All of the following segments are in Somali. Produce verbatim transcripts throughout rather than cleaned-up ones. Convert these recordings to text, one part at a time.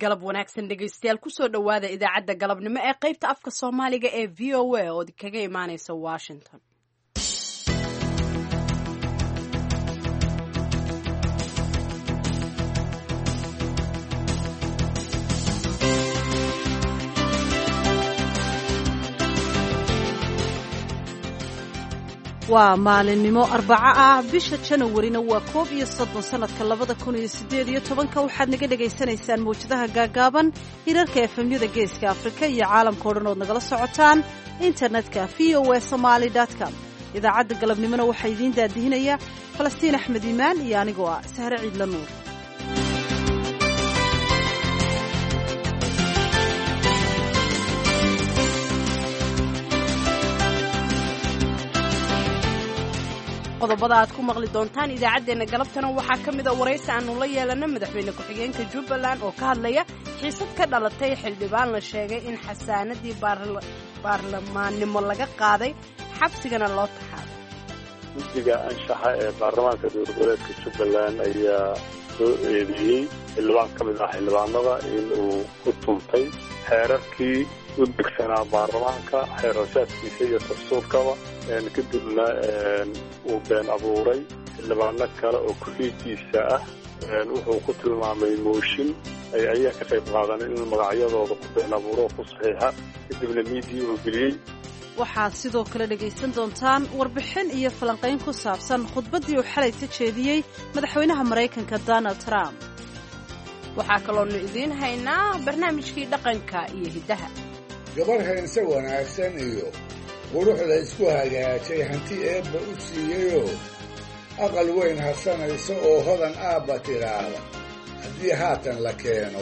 Galab wanaagsan dhegaystayaal, kusoo dhowaada idaacadda galabnimo ee qaybta afka Soomaaliga ee V O A oo kaga imaaneysa Washington. Waa maalinimo arbaco ah, bisha Janawarina waa koob iyo soddon sanadka labada kun iyo siddeed iyo tobanka. Waxaad naga dhagaysanaysaan mawjadaha gaagaaban, hirarka efemyada Geeska Afrika iyo caalamka o dhan ood nagala socotaan internetka v o a somaly com. Idaacadda galabnimona waxaa idiin daadihinaya Falastiin Axmed Iimaan iyo anigoo ah Sahre Ciidla Nuur. Qodobada aad ku maqli doontaan idaacaddeenna galabtana waxaa ka mida waraysi aanu la yeelana madaxweyne ku-xigeenka Jubbaland oo ka hadlaya xiisad ka dhalatay xildhibaan la sheegay in xasaanadii baarlamaannimo laga qaaday, xabsigana loo taxaabay. Guddiga anshaxa ee baarlamaanka dowlad goboleedka Jubbaland ayaa soo eedeeyey xildhibaan ka mid ah xildhibaanada in uu ku tuntay xeerarkii u degsanaa baarlamaanka, xeerarsaadkiisa iyo dastuurkaba, kadibna uu been abuuray xildhibaano kale oo ku-xiigiisa ah. Wuxuu ku tilmaamay mooshin ay ayaa ka qayb qaadan in magacyadooda ku been abuuro oo ku saxiixa, kadibna miidii uu geliyey. Waxaad sidoo kale dhegaysan doontaan warbixin iyo falanqayn ku saabsan khudbaddii uu xalayta jeediyey madaxweynaha Maraykanka Donald Trump. Waxaa kaloonu idiin haynaa barnaamijkii dhaqanka iyo hiddaha. Gabarh haynse wanaagsan iyo qurux la isku hagaajay, hanti eebba u siiyeyoo aqal weyn harsanaysa oo hodan aabba tidhaahda, haddii haatan la keeno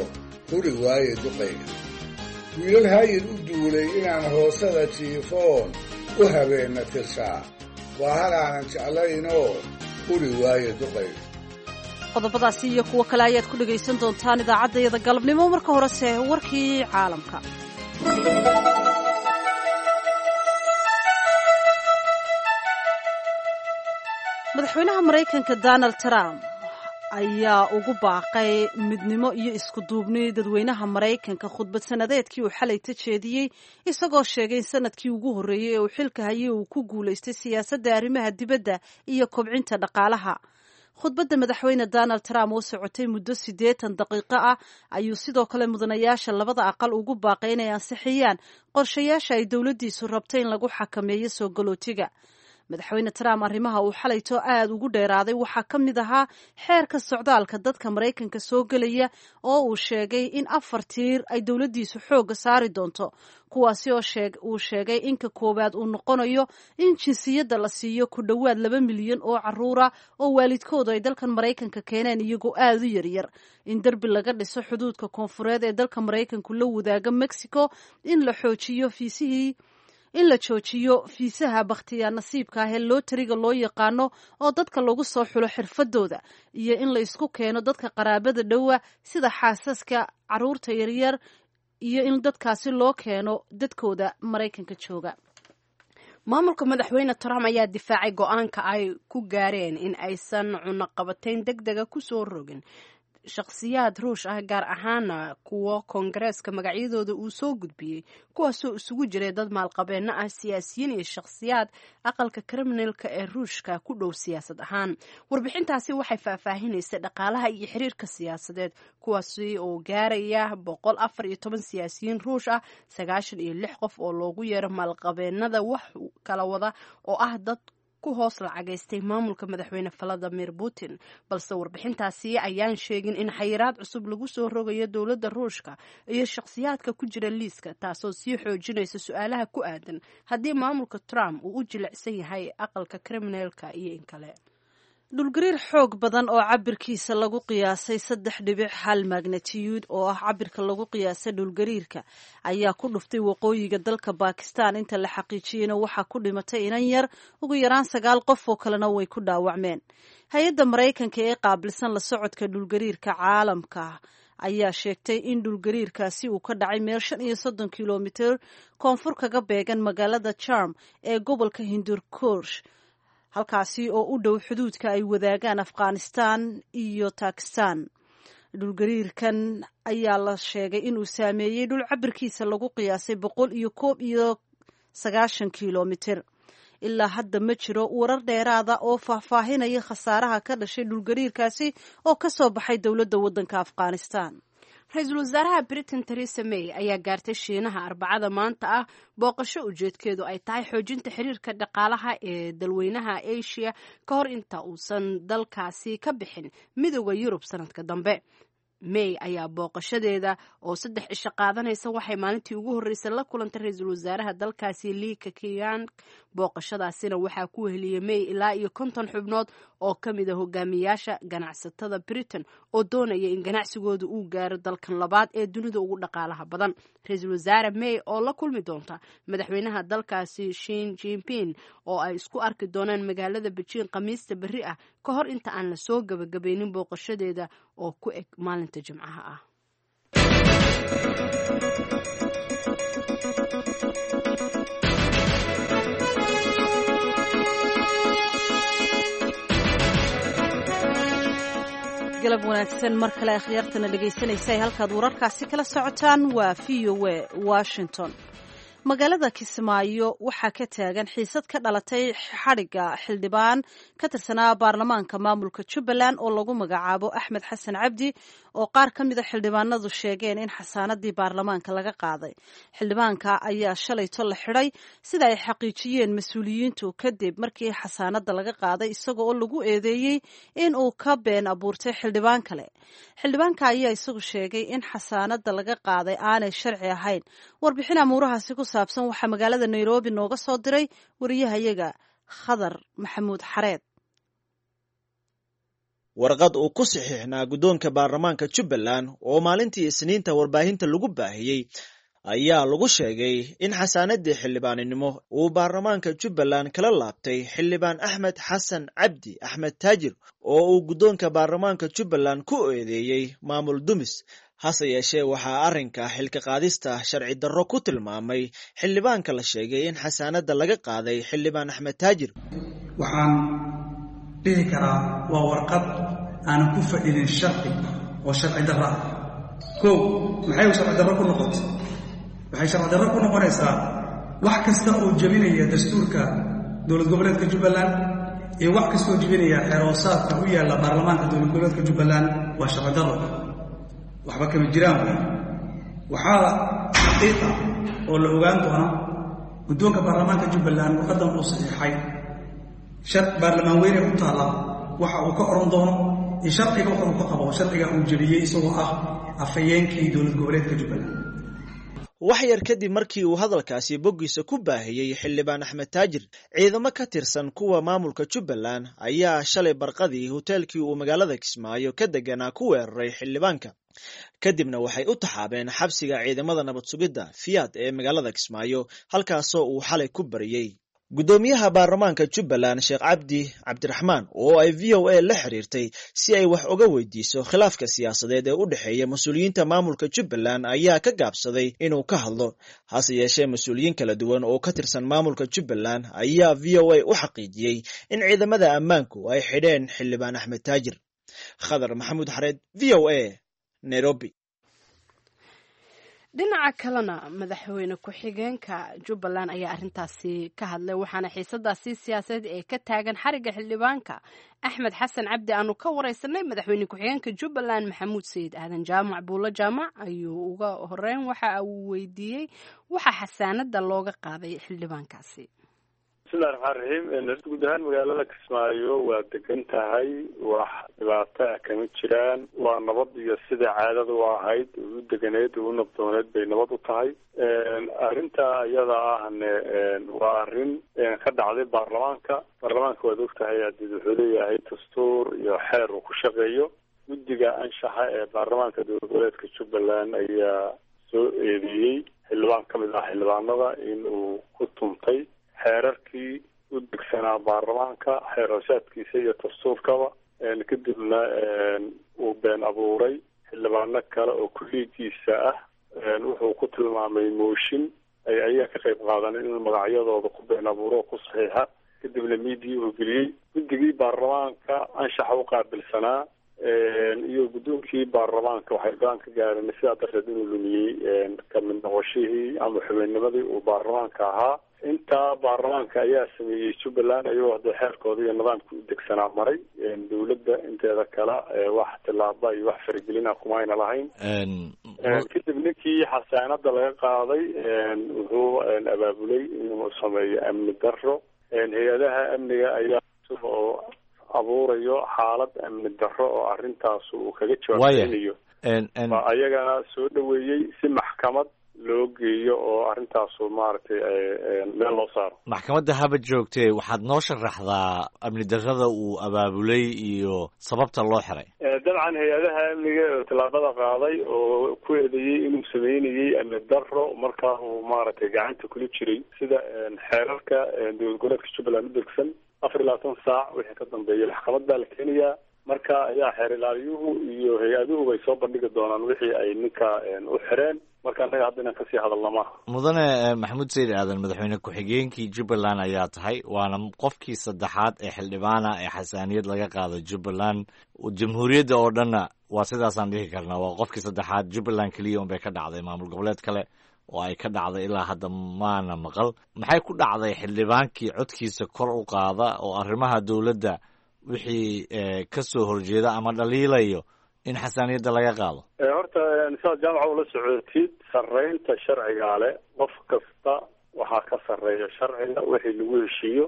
huri waaye duqayga. Wiilal hayir u duulay inaan hoosada jiifoon u habeenna tirshaa, waa halaanan jeclaynoo huri waaye duqayga. Qodobadaasi iyo kuwo kale ayaad ku dhegaysan doontaan idaacaddayada galabnimo. Marka horese warkii caalamka. Madaxweynaha Maraykanka Donald Trump ayaa ugu baaqay midnimo iyo isku duubni dadweynaha Maraykanka khudbad sanadeedkii uu xalayta jeediyey, isagoo sheegay in sanadkii ugu horreeyey ee uu xilka hayay uu ku guulaystay siyaasadda arrimaha dibadda iyo kobcinta dhaqaalaha. Khudbadda madaxweyne Donald Trump oo socotay muddo siddeetan daqiiqo ah ayuu sidoo kale mudanayaasha labada aqal ugu baaqay inay ansixiyaan qorshayaasha ay dowladdiisu rabtay in lagu xakameeyo soo galootiga. Madaxweyne Trump arrimaha uu xalayto aad ugu dheeraaday waxaa ka mid ahaa xeerka socdaalka dadka Maraykanka soo gelaya oo uu sheegay in afar tiir ay dowladdiisu xoogga saari doonto, kuwaasi oo uu sheegay in ka koowaad uu noqonayo in jinsiyadda la siiyo ku dhowaad laba milyan oo caruura oo waalidkoodu ay dalkan Maraykanka keeneen iyagoo aad u yaryar, in derbi laga dhiso xuduudka koonfureed ee dalka Maraykanku la wadaaga Mexico, in la xoojiyo fiisihii in la joojiyo fiisaha bakhtiyaa nasiibka ah ee lootariga loo yaqaano oo dadka lagu soo xulo xirfadooda, iyo in la isku keeno dadka qaraabada dhowa sida xaasaska, caruurta yaryar, iyo in dadkaasi loo keeno dadkooda Maraykanka jooga. Maamulka madaxweyne Trump ayaa difaacay go-aanka ay ku gaareen in aysan cunaqabatayn deg dega kusoo rogin shakhsiyaad Ruush ah, gaar ahaana kuwo Koongareeska magacyadooda uu soo gudbiyey, kuwaasoo isugu jiray dad maalqabeenno ah, siyaasiyiin iyo shakhsiyaad aqalka kriminalka ee Ruushka ku dhow siyaasad ahaan. Warbixintaasi waxay faahfaahinaysay dhaqaalaha iyo xiriirka siyaasadeed, kuwaasi oo gaaraya boqol afar iyo toban siyaasiyiin Ruush ah, sagaashan iyo lix qof oo loogu yeero maalqabeennada wax kala wada oo ah dad ku hoos lacagaystay maamulka madaxweyne Valadimir Putin. Balse warbixintaasi ayaan sheegin in xayiraad cusub lagu soo rogayo dowladda Ruushka iyo shakhsiyaadka ku jira liiska, taasoo sii xoojinaysa su-aalaha ku aadan haddii maamulka Trump uu u jilicsan yahay aqalka kriminalka iyo in kale. Dhulgariir xoog badan oo cabirkiisa lagu qiyaasay saddex dhibic hal magnatiyuud oo ah cabirka lagu qiyaasay dhulgariirka ayaa ku dhuftay waqooyiga dalka Bakistan. Inta la xaqiijiyeyna waxaa ku dhimatay inan yar, ugu yaraan sagaal qof oo kalena way ku dhaawacmeen. Hay-adda Maraykanka ee qaabilsan la socodka dhulgariirka caalamka ayaa sheegtay in dhulgariirkaasi uu ka dhacay meel shan iyo soddon kilomitir koonfur kaga beegan magaalada Charm ee gobolka Hindurkursh, halkaasi oo u dhow xuduudka ay wadaagaan Afghanistan iyo Bakistan. Dhulgariirkan ayaa la sheegay inuu saameeyey dhul cabirkiisa lagu qiyaasay boqol iyo koob iyo sagaashan kilomitir. Ilaa hadda ma jiro warar dheeraada oo faahfaahinaya khasaaraha ka dhashay dhulgariirkaasi oo ka soo baxay dowladda waddanka Afghanistan. Ra-iisul wasaaraha Britain Theresa May ayaa gaartay Shiinaha Arbacada maanta ah, booqasho ujeedkeedu ay tahay xoojinta xiriirka dhaqaalaha ee dalweynaha Asia ka hor inta uusan dalkaasi ka bixin Midooda Yurub sanadka dambe. May ayaa booqashadeeda oo saddex cisho qaadanaysa waxay maalintii ugu horreysay la kulantay ra-iisul wasaaraha dalkaasi Li Keqiang. Booqashadaasina waxaa ku weheliyey May ilaa iyo konton xubnood oo ka mid a hogaamiyaasha ganacsatada Britain oo doonaya in ganacsigooda uu gaaro dalkan labaad ee dunida ugu dhaqaalaha badan. Ra-iisul wasaare May oo la kulmi doonta madaxweynaha dalkaasi Shin Jinping oo ay isku arki doonaan magaalada Beijing Khamiista berri ah, ka hor inta aan la soo gabagabaynin booqashadeeda oo ku eg maalinta Jimcaha ah. Galab wanaagsan mar kale akhyaartana dhegaysanaysa, halkaad wararkaasi kala socotaan waa V O A Washington. Magaalada Kismaayo waxaa ka taagan xiisad ka dhalatay xadhigga xildhibaan ka tirsanaa baarlamaanka maamulka Jubbaland oo lagu magacaabo Axmed Xasan Cabdi, oo qaar ka mida xildhibaanadu sheegeen in xasaanadii baarlamaanka laga qaaday. Xildhibaanka ayaa shalayto la xidhay, sida ay xaqiijiyeen mas-uuliyiintu, kadib markii xasaanada laga qaaday isaga oo lagu eedeeyey in uu ka been abuurtay xildhibaan kale. Xildhibaanka ayaa isagu sheegay in xasaanada laga qaaday aanay sharci ahayn. Warbixin amuurahaasi ku saabsan waxaa magaalada Nairobi nooga soo diray wariyahayaga Khadar Maxamuud Xareed. Warqad uu ku saxiixnaa guddoonka baarlamaanka Jubbaland oo maalintii Isniinta warbaahinta lagu baahiyey ayaa lagu sheegay in xasaanadii xildhibaaninimo uu baarlamaanka Jubbaland kala laabtay xildhibaan Axmed Xasan Cabdi, Axmed Taajir, oo uu guddoonka baarlamaanka Jubbaland ku eedeeyey maamul dumis. Hase yeeshee, waxaa arrinka xilka qaadista sharci darro ku tilmaamay xildhibaanka la sheegay in xasaanadda laga qaaday, xildhibaan Axmed Taajir. Waxaan dhihi karaa waa warqad aanan ku fadhinin sharci oo sharci darro ah. Kow, maxay sharci darro ku noqotay? Waxay sharci darro ku noqonaysaa wax kasta oo jebinaya dastuurka dowlad goboleedka Jubbaland iyo wax kasta oo jebinaya xeeroosaadka u yaalla baarlamaanka dowlad goboleedka Jubbaland. Waa sharci darro, waxba kama jiraan wey. Waxaa xaqiiqa oo la ogaan doona guddoonka baarlamaanka Jubbaland warqaddan uu saxiixay shar baarlamaan weyne u taalla waxa uu ka odhan doono iyo sharciga waxa uu ka qabo sharciga uu jebiyey, isagoo ah afhayeenkii dowlad goboleedka Jubbaland. Wax yar kadib markii uu hadalkaasi boggiisa ku baahiyey xildhibaan Axmed Taajir, ciidamo ka tirsan kuwa maamulka Jubbaland ayaa shalay barqadii hoteelkii uu magaalada Kismaayo ka deganaa ku weeraray xildhibaanka, kadibna waxay u taxaabeen xabsiga ciidamada nabad sugidda Fiyaad ee magaalada Kismaayo, halkaasoo uu xalay ku bariyey. Guddoomiyaha baarlamaanka Jubbaland Sheekh Cabdi Cabdiraxmaan oo ay V O A la xiriirtay si ay wax uga weydiiso khilaafka siyaasadeed ee u dhexeeya mas-uuliyiinta maamulka Jubbaland ayaa ka gaabsaday inuu ka hadlo. Hase yeeshee, mas-uuliyiin kala duwan oo ka tirsan maamulka Jubbaland ayaa V O A u xaqiijiyey in ciidamada ammaanku ay xidheen xildhibaan Axmed Taajir. Khadar Maxamuud Xareed, V O A, Nairobi. Dhinaca kalena, madaxweyne ku-xigeenka Jubbaland ayaa arrintaasi ka hadlay, waxaana xiisadaasi siyaasadeed ee ka taagan xarigga xildhibaanka Axmed Xasan Cabdi aanu ka wareysanay madaxweyne ku-xigeenka Jubbaland Maxamuud Sayid Aadan. Jaamac Buulo Jaamac ayuu uga horeyn waxa uu weydiiyey waxa xasaanada looga qaaday xildhibaankaasi. Bismillahi raxmaan raxiim. Horta guud ahaan magaalada Kismaayo waa degan tahay, wax dhibaato ah kama jiraan. Waa nabad iyo sida caadada u ahayd u deganeed u nabdooneed bay nabad u tahay. Arrinta iyada ahne waa arrin ka dhacday baarlamaanka. Baarlamaanka waad ogtahay hadii wuxuu leeyahay dastuur iyo xeer uu ku shaqeeyo. Guddiga anshaxa ee baarlamaanka dowlad goboleedka Jubbaland ayaa soo eedeeyey xildhibaan ka mid ah xildhibaanada in uu ku tuntay xeerarkii u degsanaa baarlamaanka, xeerhoosaadkiisa iyo dastuurkaba, kadibna uu been abuuray xildhibaano kale oo kulliigiisa ah. Wuxuu ku tilmaamay mooshin ay ayaga ka qayb qaadan in magacyadooda ku been abuuro oo ku saxiixa, kadibna miidii uu geliyey. Guddigii baarlamaanka anshaxa u qaabilsanaa iyo guddoonkii baarlamaanka waxay go-aan ka gaareen sidaa darteed inuu lumiyey kamid noqoshihii ama xubinnimadii uu baarlamaanka ahaa. Intaa baarlamaanka ayaa sameeyey Jubbaland ayagoo hadda xeerkooda iyo nidaamka u degsanaa maray. Dowladda inteeda kale wax tillaaba iyo wax faragelina kuma ayna lahayn. Kadib ninkii xasaanada laga qaaday wuxuu abaabulay inuu sameeyo amni darro. Hay-adaha amniga ayaa oo abuurayo xaalad amni darro oo arrintaas uu kaga jawaabeynayo ayagana soo dhaweeyey si maxkamad loo geeyo oo arrintaasu maaragtay meel loo saaro. Maxkamadda haba joogtee, waxaad noo sharaxdaa amni darrada uu abaabulay iyo sababta loo xiray. Dabcan hay-adaha amniga oo tallaabada qaaday oo ku eedeeyey inuu sameynayey amni darro markaa uu maaragtay gacanta kula jiray sida xeerarka dowlad goboleedka Jubbaland u degsan afar iyo labaatan saac wixii ka dambeeyay maxkamad baa la keenayaa. Marka ayaa xeer ilaaliyuhu iyo hay-aduhu bay soo bandhigi doonaan wixii ay ninka u xireen. Marka annaga hadda inaan kasii hadalna maaha. Mudane Maxamuud Sayid Aadan, madaxweyne ku-xigeenkii Jubbaland ayaa tahay, waana qofkii saddexaad ee xildhibaana ee xasaaniyad laga qaado Jubbaland. Jamhuuriyadda oo dhanna waa sidaasaan dhihi karnaa, waa qofkii saddexaad. Jubbaland keliya unbay ka dhacday, maamul goboleed kale oo ay ka dhacday ilaa hadda maana maqal. Maxay ku dhacday xildhibaankii codkiisa kor u qaada oo arrimaha dowladda wixii ka soo horjeeda ama dhaliilayo in xasaaniyadda laga qaado? Horta sidaad jaamaca ula socotid, sarreynta sharcigaa leh, qof kasta waxaa ka sarreeya sharciga wixii lagu heshiiyo.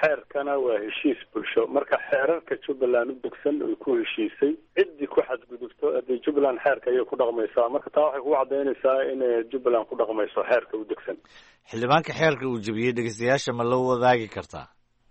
Xeerkana waa heshiis bulsho. Marka xeerarka Jubbaland u degsan oy ku heshiisay ciddii ku xadgudubto haddii Jubbaland xeerka ayay ku dhaqmaysaa. Marka taa waxay kugu caddaynaysaa inay Jubbaland ku dhaqmayso xeerka u degsan. Xildhibaanka xeerka uu jebiyey dhegeystayaasha ma la wadaagi kartaa?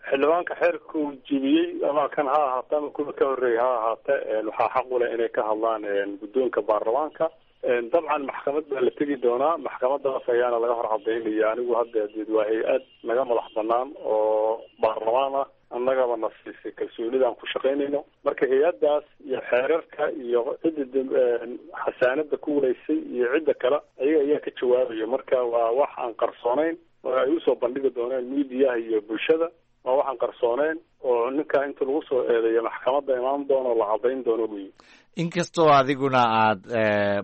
Xildhibaanka xeerka uu jebiyey ama kan ha ahaate ama kuwa ka horreeyay ha ahaate, waxaa xaq u leh inay ka hadlaan guddoonka baarlamaanka. Dabcan maxkamad baa la tegi doonaa, maxkamadaas ayaana laga hor cadaynaya. Anigu hadda deed waa hay-ad naga madax banaan oo baarlamaan ah, annagaba na siisay kalsoonida aan ku shaqaynayno. Marka hay-addaas iyo xeerarka iyo cidda xasaanada ku wareysay iyo cidda kale ayaga ayaa ka jawaabaya. Marka waa wax aan qarsoonayn oo ay usoo bandhigi doonaan miidiyaha iyo bulshada. Waa waxaan qarsooneyn oo ninka inta lagu soo eedeeyo maxkamadda imaan doono la caddayn doono wey. Inkastoo adiguna aad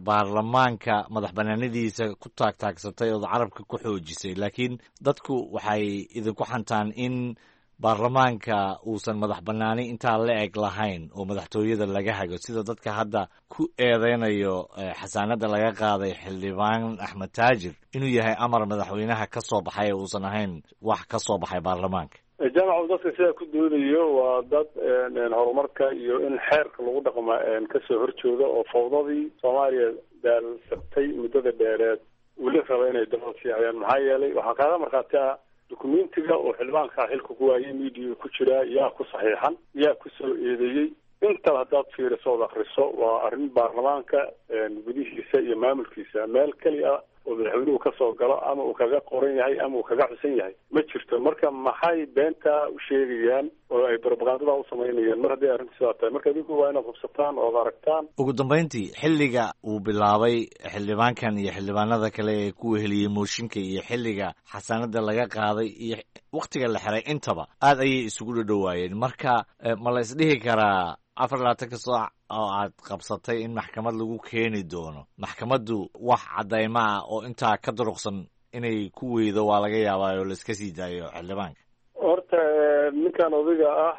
baarlamaanka madax banaanadiisa ku taagtaagsatay ood carabka ku xoojisay, laakiin dadku waxay idinku xantaan in baarlamaanka uusan madax banaani intaa la eg lahayn oo madaxtooyada laga hago, sida dadka hadda ku eedeynayo xasaanada laga qaaday xildhibaan Axmed Taajir inuu yahay amar madaxweynaha ka soo baxay ee uusan ahayn wax ka soo baxay baarlamaanka. Jaamacu dadka sidaa ku doodayo waa dad horumarka iyo in xeerka lagu dhaqma kasoo horjooda oo fawdadii Soomaaliya daalsatay muddada dheereed weli raba inay dabada siicayaan. Maxaa yeelay waxaa kaaga markhaati ah dukumentiga oo xildhibaanka xilka ku waayay miidiya ku jiraa, yaa ku saxiixan, yaa ku soo eedeeyey. Intaba haddaad fiiriso ood akriso waa arrin baarlamaanka gudihiisa iyo maamulkiisa meel keli ah oo madaxweynuhu kasoo galo ama uu kaga qoran yahay ama uu kaga xusan yahay ma jirto. Marka maxay beentaa u sheegayaan oo ay brobagandada u samaynayaan mar haddii arrintu sidaa tahay? Marka idinku waa inaad hubsataan ood aragtaan. Ugu dambeyntii, xilliga uu bilaabay xildhibaankan iyo xildhibaanada kale ee ku weheliyey mooshinka iyo xilliga xasaanada laga qaaday iyo waktiga la xiray intaba aad ayay isugu dhadhowaayeen. Marka ma la isdhihi karaa afar labaatanka saac oo aad qabsatay in maxkamad lagu keeni doono, maxkamaddu wax caddayma ah oo intaa ka duruqsan inay ku weydo waa laga yaabaa oo laiska sii daayo xildhibaanka? Horta ninkan odayga ah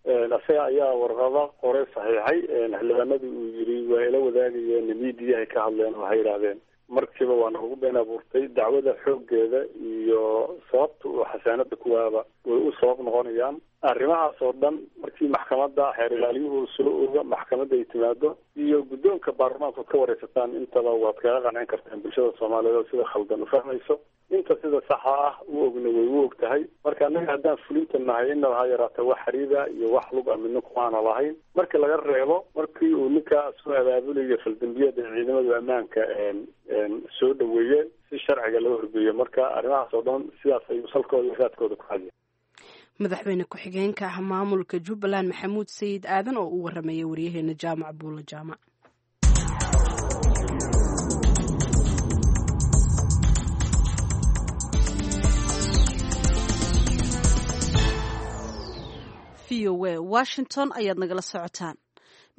isaga ayaa warqado qoray saxiixay. Xildhibaanadii uu yiri waa ila wadaagayeen miidiyahay ka hadleen oo waxay yidhaahdeen markiiba waa nagu been abuurtay. Dacwada xooggeeda iyo sababta uu xasaanada ku waaba way u sabab noqonayaan arrimahaas oo dhan. Markii maxkamadda xeer ilaaliyuhu soo oga, maxkamadda ay timaado iyo guddoonka baarlamaanka ood ka wareysataan, intaba waad kaga qancin kartaan bulshada soomaaliyeed oo sida khaldan u fahmayso. Inta sida saxa ah u ogna way u og tahay. Marka annaga haddaan fulinta nahay inaba ha yaraata wax xariida iyo wax lug a midna kumaana lahayn, marka laga reebo markii uu ninka soo abaabulayo faldambiyada ciidamada ammaanka soo dhaweeyeen si sharciga loo horgeeyo. Marka arrimahaas oo dhan sidaas ayuu salkooda iyo raadkooda ku hadiya. Madaxweyne ku-xigeenka ah maamulka Jubbaland Maxamuud Sayid Aadan oo u waramayay waryaheena Jaamac Buulo Jaamac. V O O A Washington ayaad nagala socotaan.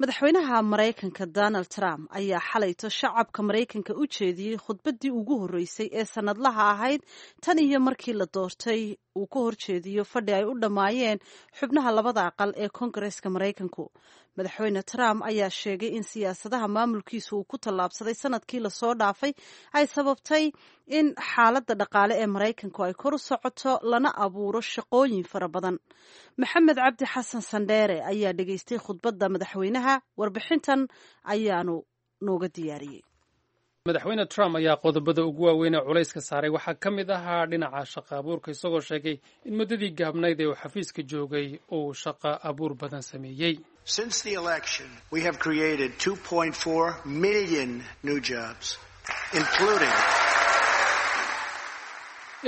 Madaxweynaha Maraykanka Donald Trump ayaa xalayto shacabka Maraykanka u jeediyey khudbaddii ugu horreysay ee sannadlaha ahayd tan iyo markii la doortay uu ka horjeediyo fadhi ay u dhammaayeen xubnaha labada aqal ee Koongareeska Maraykanku. Madaxweyne Trump ayaa sheegay in siyaasadaha maamulkiisu uu ku tallaabsaday sanadkii lasoo dhaafay ay sababtay in xaaladda dhaqaale ee Maraykanku ay kor u socoto lana abuuro shaqooyin fara badan. Maxamed Cabdi Xasan Sandheere ayaa dhegaystay khudbadda madaxweynaha, warbixintan ayaanu nooga diyaariyey. Madaxweyne Trump ayaa qodobada ugu waaweyn ee culayska saaray waxaa ka mid ahaa dhinaca shaqa abuurka, isagoo sheegay in muddadii gaabnayd ee uu xafiiska joogay uu shaqa abuur badan sameeyey. Since the election, we have created two point four million new jobs, including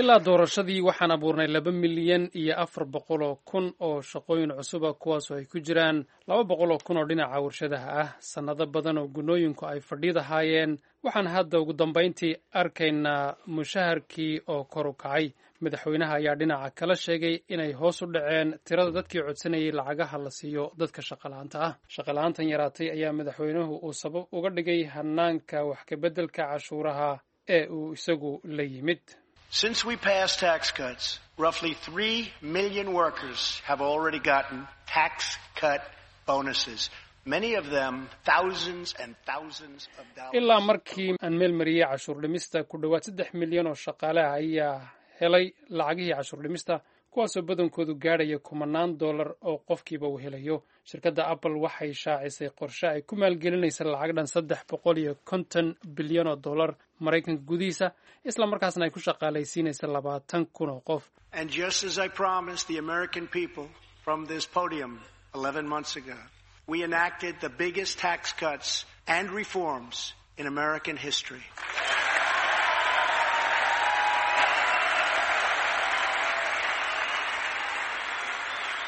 Ilaa doorashadii waxaan abuurnay laba milyan iyo afar boqol oo kun oo shaqooyin cusuba, kuwaasoo ay ku jiraan laba boqol oo kun oo dhinaca warshadaha ah. Sannado badan oo gunooyinku ay fadhiidahaayeen, waxaan hadda ugu dambayntii arkaynaa mushaharkii oo kor u kacay. Madaxweynaha ayaa dhinaca kala sheegay inay hoos u dhaceen tirada dadkii codsanayay lacagaha la siiyo dadka shaqala-aanta ah. Shaqala-aantan yaraatay ayaa madaxweynuhu uu sabab uga dhigay hanaanka wax kabeddelka cashuuraha ee uu isagu la yimid. Since we passed tax cuts, roughly three million workers have already gotten tax cut bonuses. Many of them thousands and thousands of dollars. Ilaa markii aan meel mariyey cashuur dhimista, ku dhowaad saddex milyan oo shaqaale ah ayaa helay lacagihii cashuur dhimista, kuwaasoo badankoodu gaadhaya kumanaan dollar oo qofkiiba uu helayo. Shirkadda Apple waxay shaacisay qorshe ay ku maalgelinaysa lacag dhan saddex boqol iyo konton bilyan oo dollar Maraykanka gudihiisa, isla markaasna ay ku shaqaalaysiinaysa labaatan kun oo qof. And just as I promised the American people from this podium eleven months ago, we enacted the biggest tax cuts and reforms in American history.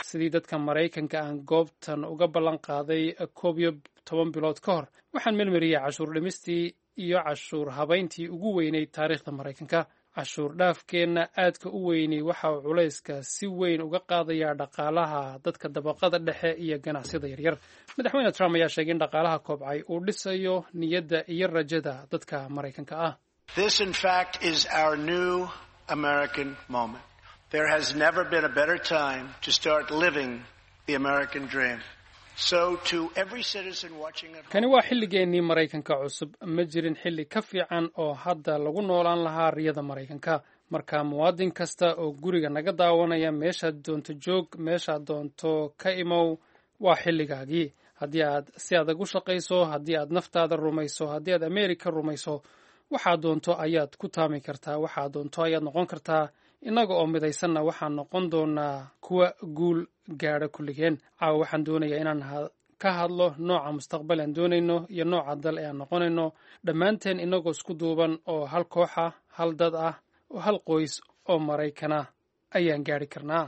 Sidii dadka Maraykanka aan goobtan uga ballan qaaday koob iyo toban bilood ka hor, waxaan melmariyey cashuur dhimistii iyo cashuur habayntii ugu weyneyd taariikhda Maraykanka. Cashuur dhaafkeenna aadka u weynay waxa uu culayska si weyn uga qaadayaa dhaqaalaha dadka dabaqada dhexe iyo ganacsiyada yaryar. Madaxweyne Trump ayaa sheegay in dhaqaalaha kobcay uu dhisayo niyadda iyo rajada dadka Maraykanka ah. This, in fact, is our new American moment. There has never been a better time to start living the American dream. So to every citizen watching at home, Kani waa xilligeennii Maraykanka cusub. Ma jirin xilli ka fiican oo hadda lagu noolaan lahaa riyada Maraykanka. Marka muwaadin kasta oo guriga naga daawanaya, meeshaad doonto joog, meeshaad doonto ka imow, waa xilligaagii. Haddii aad si adag u shaqayso, haddii aad naftaada rumayso, haddii aad Ameerika rumayso, waxaad doonto ayaad ku taami kartaa, waxaad doonto ayaad noqon kartaa. Innaga oo midaysanna waxaan noqon doonaa kuwa guul gaadha kulligeen. Caawa waxaan doonayaa inaan ka hadlo nooca mustaqbal aan doonayno iyo nooca dal ee aan noqonayno dhammaanteen, innagoo isku duuban oo hal koox ah, hal dad ah oo hal qoys oo Maraykana ayaan gaadhi karnaa.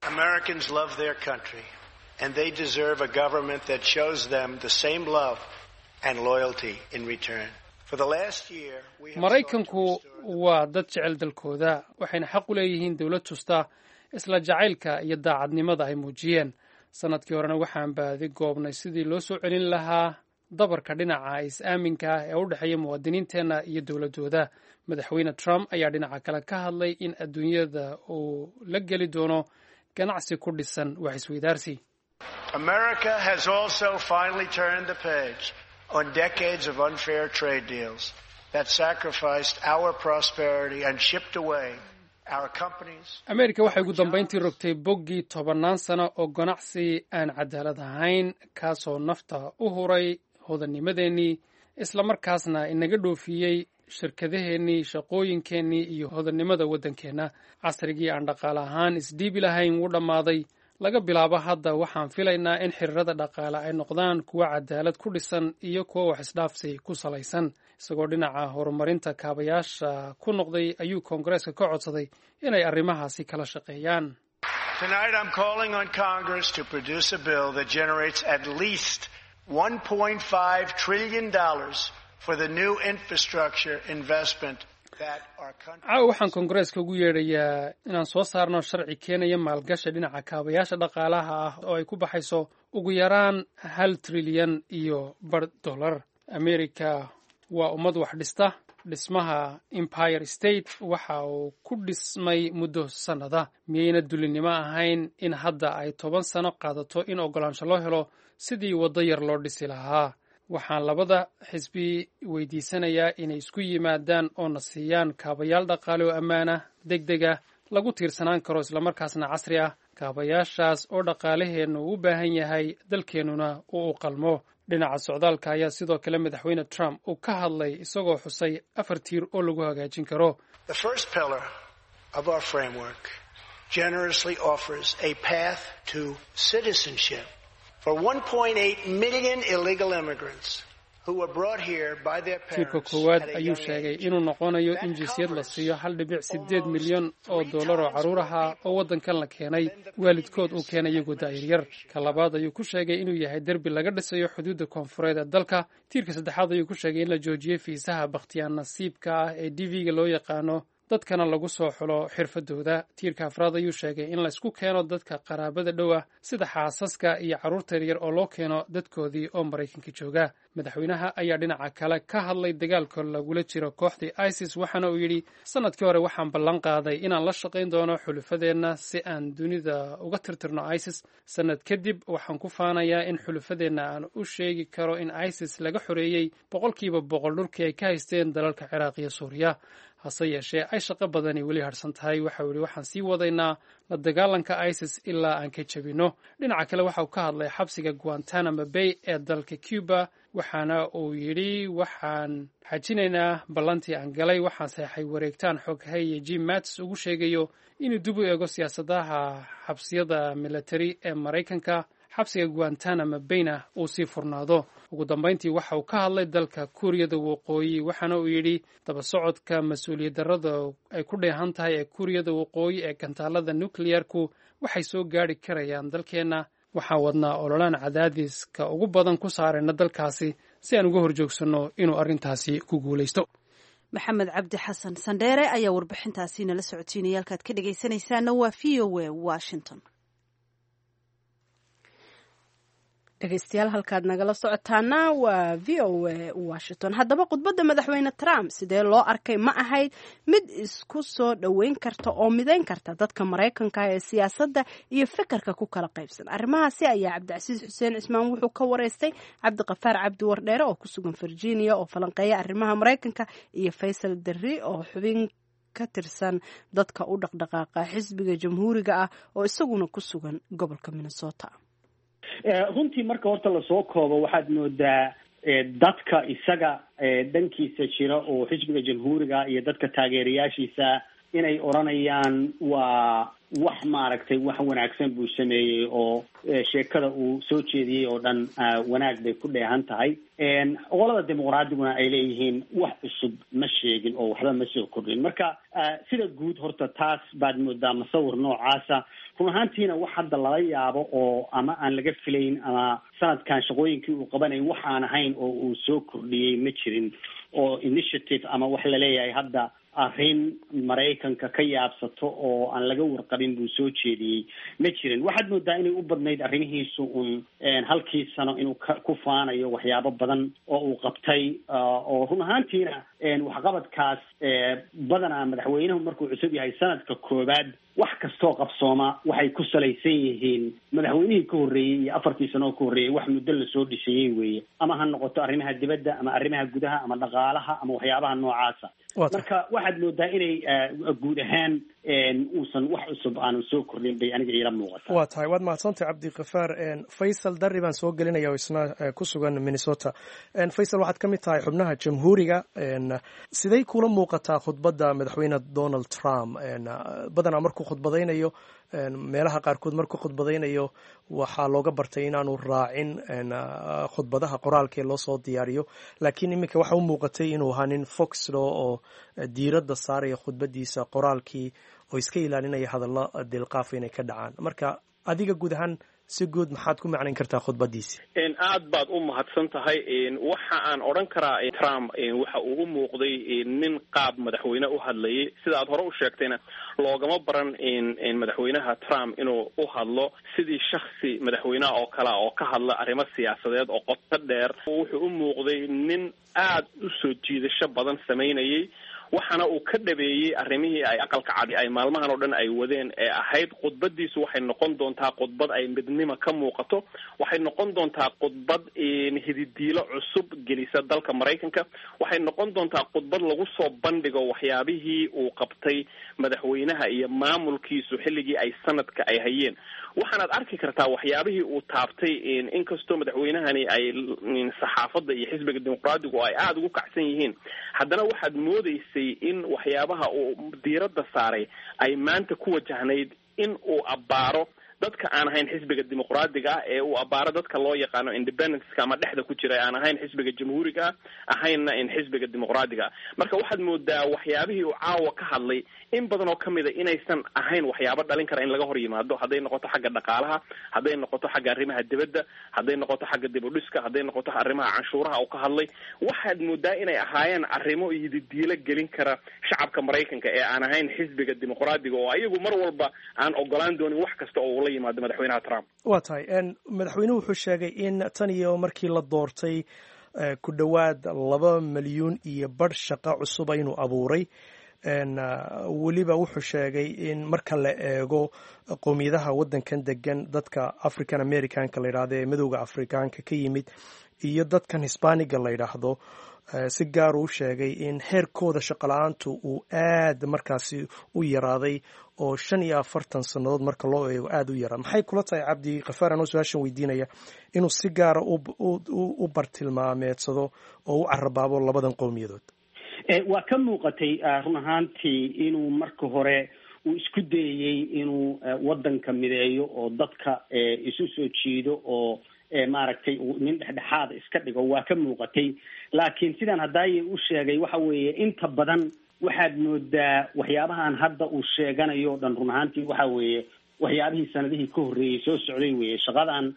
Americans love their country, and they deserve a government that shows them the same love and loyalty in return. For the last year, we have Maraykanku waa dad jecel dalkooda, waxayna xaq u leeyihiin dowlad tusta isla jacaylka iyo daacadnimada ay muujiyeen. Sanadkii horena waxaan baadi goobnay sidii loo soo celin lahaa dabarka dhinaca is-aaminka ah ee u dhexeeya muwaadiniinteenna iyo dowladooda. Madaxweyne Trump ayaa dhinaca kale ka hadlay in adduunyada uu la geli doono ganacsi ku dhisan wax isweydaarsi. America has also finally turned the page on decades of unfair trade deals that sacrificed our prosperity and shipped away our companies. Ameerika waxay ugu dambayntii rogtay boggii tobannaan sano oo ganacsi aan cadaalad ahayn, kaasoo nafta u huray hodannimadeennii, islamarkaasna inaga dhoofiyey shirkadaheennii, shaqooyinkeennii iyo hodannimada waddankeenna. Casrigii aan dhaqaale ahaan isdhiibi lahayn wuu dhammaaday. Laga bilaabo hadda waxaan filaynaa in xiriirada dhaqaale ay noqdaan kuwo cadaalad ku dhisan iyo kuwo wax isdhaafsi ku salaysan. Isagoo dhinaca horumarinta kaabayaasha ku noqday ayuu Koongareeska ka codsaday inay arrimahaasi kala shaqeeyaan. Tonight I'm calling on Congress to produce a bill that generates at least one point five trillion dollars for the new infrastructure investment Caawa waxaan koongareeska ugu yeedhayaa inaan soo saarno sharci keenaya maalgashi dhinaca kaabayaasha dhaqaalaha ah oo ay ku baxayso ugu yaraan hal trilyan iyo bar dollar. Amerika waa ummad wax dhista. Dhismaha Empire State waxa uu ku dhismay muddo sannada. Miyayna dulinimo ahayn in hadda ay toban sano qaadato in oggolaansho loo helo sidii waddo yar loo dhisi lahaa? Waxaan labada xisbi weydiisanayaa inay isku yimaadaan oo na siiyaan kaabayaal dhaqaale oo ammaana, deg deg ah, lagu tiirsanaan karo, islamarkaasna casri ah, kaabayaashaas oo dhaqaalaheennu u baahan yahay, dalkeennuna uu u qalmo. Dhinaca socdaalka ayaa sidoo kale madaxweyne Trump uu ka hadlay, isagoo xusay afar tiir oo lagu hagaajin karo. The first pillar of our framework generously offers a path to citizenship for one point eight million illegal immigrants who were brought here by their Tiirka parents koowaad at a ayuu young sheegay age. Inuu noqonayo in jinsiyad la siiyo hal dhibic sideed milyan oo dollar oo carruur ahaa oo waddankan la keenay, waalidkood uu keenay iyagoo da'yar. Ka labaad ayuu ku sheegay inuu yahay derbi laga dhisayo xuduudda koonfureed ee dalka. Tiirka saddexaad ayuu ku sheegay in la joojiyey fiisaha bakhtiyaan nasiibka ah ee D V-ga loo yaqaano, dadkana lagu soo xulo xirfadooda. Tiirka afraad ayuu sheegay in laysku keeno dadka qaraabada dhow ah, sida xaasaska iyo carruurta yaryar, oo loo keeno dadkoodii oo Maraykanka jooga. Madaxweynaha ayaa dhinaca kale ka hadlay dagaalka lagula jiro kooxdii ISIS, waxaana uu yidhi: "Sanadkii hore waxaan ballan qaaday inaan la shaqayn doono xulufadeenna si aan dunida uga tirtirno ISIS. Sanad kadib waxaan ku faanayaa in xulufadeenna aan u sheegi karo in ISIS laga xoreeyey boqolkiiba boqol dhulkii ay ka haysteen dalalka Ciraaq iyo Suuriya, hase yeeshee ay shaqo badani weli harsan tahay." Waxa uu yidhi: "Waxaan sii wadaynaa la dagaalanka ISIS ilaa aan ka jebinno." Dhinaca kale waxa uu ka hadlay xabsiga Guantanamo Bay ee dalka Cuba, waxaana uu yidhi: "Waxaan xajinaynaa ballantii aan galay. Waxaan saxeexay wareegtaan xoghaye Jim Mattis ugu sheegayo inuu dib u eego siyaasadaha xabsiyada military ee Maraykanka, xabsiga Guantanamo Bayna uu sii furnaado." Ugu dambayntii waxa uu ka hadlay dalka Kuuriyada Waqooyi, waxaana uu yidhi: "Daba socodka mas-uuliyad darrada ay ku dheehan tahay ee Kuuriyada Waqooyi ee gantaalada nucleyarku waxay soo gaari karayaan dalkeenna. Waxaan wadnaa ololaan cadaadiska ugu badan ku saarayna dalkaasi si aan uga horjoogsanno inuu arrintaasi ku guulaysto." Maxamed Cabdi Xasan Sandheere ayaa warbixintaasi nala socotiinaya. Halkaad ka dhegaysanaysaana waa V O A Washington. Dhegeystayaal, halkaad nagala socotaana waa V O A Washington. Haddaba, khudbadda madaxweyne Trump sidee loo arkay? Ma ahayd mid isku soo dhoweyn karta oo midayn karta dadka Maraykanka ee siyaasadda iyo fikirka ku kala qaybsan? Arrimahaasi ayaa Cabdicasiis Xuseen Cismaan wuxuu ka wareystay Cabdiqafaar Cabdi Wardheere oo ku sugan Virginia oo falanqeeya arrimaha Maraykanka, iyo Faysal Derri oo xubin ka tirsan dadka u dhaqdhaqaaqa xisbiga Jamhuuriga ah oo isaguna ku sugan gobolka Minnesota. Runtii, marka horta lasoo koobo, waxaad moodaa dadka isaga dhankiisa jira oo xisbiga Jamhuuriga iyo dadka taageerayaashiisa inay odhanayaan waa wax maaragtay wax wanaagsan buu sameeyey, oo sheekada uu soo jeediyey oo dhan wanaag bay ku dheehan tahay. Qolada Dimuqraadiguna ay leeyihiin wax cusub ma sheegin oo waxba ma soo kordhin. Marka sida guud horta taas baad moodaa masawir noocaasa. Run ahaantiina wax hadda lala yaabo oo ama aan laga filayn ama sanadkan shaqooyinkii uu qabanay waxaan ahayn oo uu soo kordhiyey ma jirin, oo initiative ama wax laleeyahay hadda arrin Maraykanka ka yaabsato oo aan laga warqabin buu soo jeediyey ma jirin. Waxaad moodaa inay u badnayd arrimihiisu un halkii sano inuu ku faanayo waxyaabo badan oo uu qabtay, oo run ahaantiina waxqabadkaas badanaa madaxweynuhu markuu cusub yahay sanadka koowaad wax kastoo qabsooma waxay ku salaysan yihiin madaxweynihii ka horreeyey iyo afartii sano oo ka horreeyey, wax muddo lasoo dhisayey weeye, ama ha noqoto arrimaha dibadda ama arrimaha gudaha ama dhaqaalaha ama waxyaabaha noocaasa. Marka waxaad moodaa inay guud ahaan uusan wax cusub aanu soo kordhin bay aniga iila muuqata. Waa tahay, waad mahadsantahay, Cabdikafaar. Faysal Darri baan soo gelinaya oo isna ku sugan Minnesota. Faysal, waxaad ka mid tahay xubnaha Jamhuuriga. Siday kula muuqataa khudbadda madaxweyne Donald Trump? Badanaa markuu khudbadaynayo, meelaha qaarkood markuu khudbadaynayo, waxaa looga bartay inaanu raacin khudbadaha qoraalkee loo soo diyaariyo, laakiin iminka waxa u muuqatay inuu ahaa nin foxlo oo diiradda saaraya khudbadiisa qoraalkii oo iska ilaalinaya hadallo dilqaafa inay ka dhacaan. Marka adiga guud ahaan Si guud maxaad ku macnayn kartaa khudbadiisi? Aad baad u mahadsan tahay. Waxa aan odhan karaa Trump waxa uu u muuqday nin qaab madaxweyne u hadlayay. Sida aad hore u sheegtayna, loogama baran madaxweynaha Trump inuu u hadlo sidii shaksi madaxweyneha oo kalea oo ka hadla arrimo siyaasadeed oo qoto dheer. Wuxuu u muuqday nin aad u soo jiidasho badan samaynayay, waxaana uu ka dhabeeyey arrimihii ay Aqalka Cadi ay maalmahan oo dhan ay wadeen ee ahayd khudbadiisu waxay noqon doontaa khudbad ay midnimo ka muuqato, waxay noqon doontaa khudbad hididiilo cusub gelisa dalka Maraykanka, waxay noqon doontaa khudbad lagu soo bandhigo waxyaabihii uu qabtay madaxweynaha iyo maamulkiisu xilligii ay sanadka ay hayeen. Waxaanaad arki kartaa waxyaabihii uu taabtay, inkastoo madaxweynahani ay saxaafadda iyo xisbiga Dimuqraadigu ay aada ugu kacsan yihiin, haddana waxaad moodeysay in waxyaabaha uu diiradda saaray ay maanta ku wajahnayd in uu abbaaro dadka aan ahayn xisbiga Dimuqraadiga ah, ee uu abbaaro dadka loo yaqaano independenceka ama dhexda ku jira, aan ahayn xisbiga Jamhuuriga ah, ahaynna in xisbiga Dimuqraadiga ah. Marka waxaad moodaa waxyaabihii uu caawa ka hadlay in badan oo kamid a inaysan ahayn waxyaabo dhalin kara in laga hor yimaado, hadday noqoto xagga dhaqaalaha, hadday noqoto xagga arrimaha dibadda, hadday noqoto xagga dib u dhiska, hadday noqoto arrimaha canshuuraha uu ka hadlay. Waxaad moodaa inay ahaayeen arrimo yididiilo gelin kara shacabka Maraykanka ee aan ahayn xisbiga Dimuqraadiga, oo ayagu mar walba aan ogolaan doonin wax kasta oo ula yimaado madaxweynaha Trump. Waa tahay. Madaxweynuhu wuxuu sheegay in tan iyo markii la doortay ku dhowaad laba milyuun iyo badh shaqo cusuba inuu abuuray. Weliba wuxuu sheegay in marka la eego qowmiyadaha waddankan degan, dadka African Americanka la yidhahdo ee madowga Afrikaanka ka yimid iyo dadkan Hispaniga la yidhaahdo, si gaar uu sheegay in heerkooda shaqo la-aantu uu aad markaasi u yaraaday, oo shan iyo afartan sannadood marka loo eego aada u yaraa. Maxay kula tahay, Cabdi Kafaar, anoo su-aashan weydiinaya, inuu si gaara u bartilmaameedsado oo u carabaabo labadan qowmiyadood? Waa ka muuqatay run ahaantii inuu marka hore uu isku dayayey inuu waddanka mideeyo oo dadka isu soo jiido oo maaragtay nin dhexdhexaada iska dhigo. Waa ka muuqatay, laakiin sidaan hadaaye u sheegay, waxa weeye inta badan waxaad moodaa waxyaabahan hadda uu sheeganayo o dhan run ahaantii waxa weeye waxyaabihii sanadihii ka horreeyey soo socday weeye. Shaqadan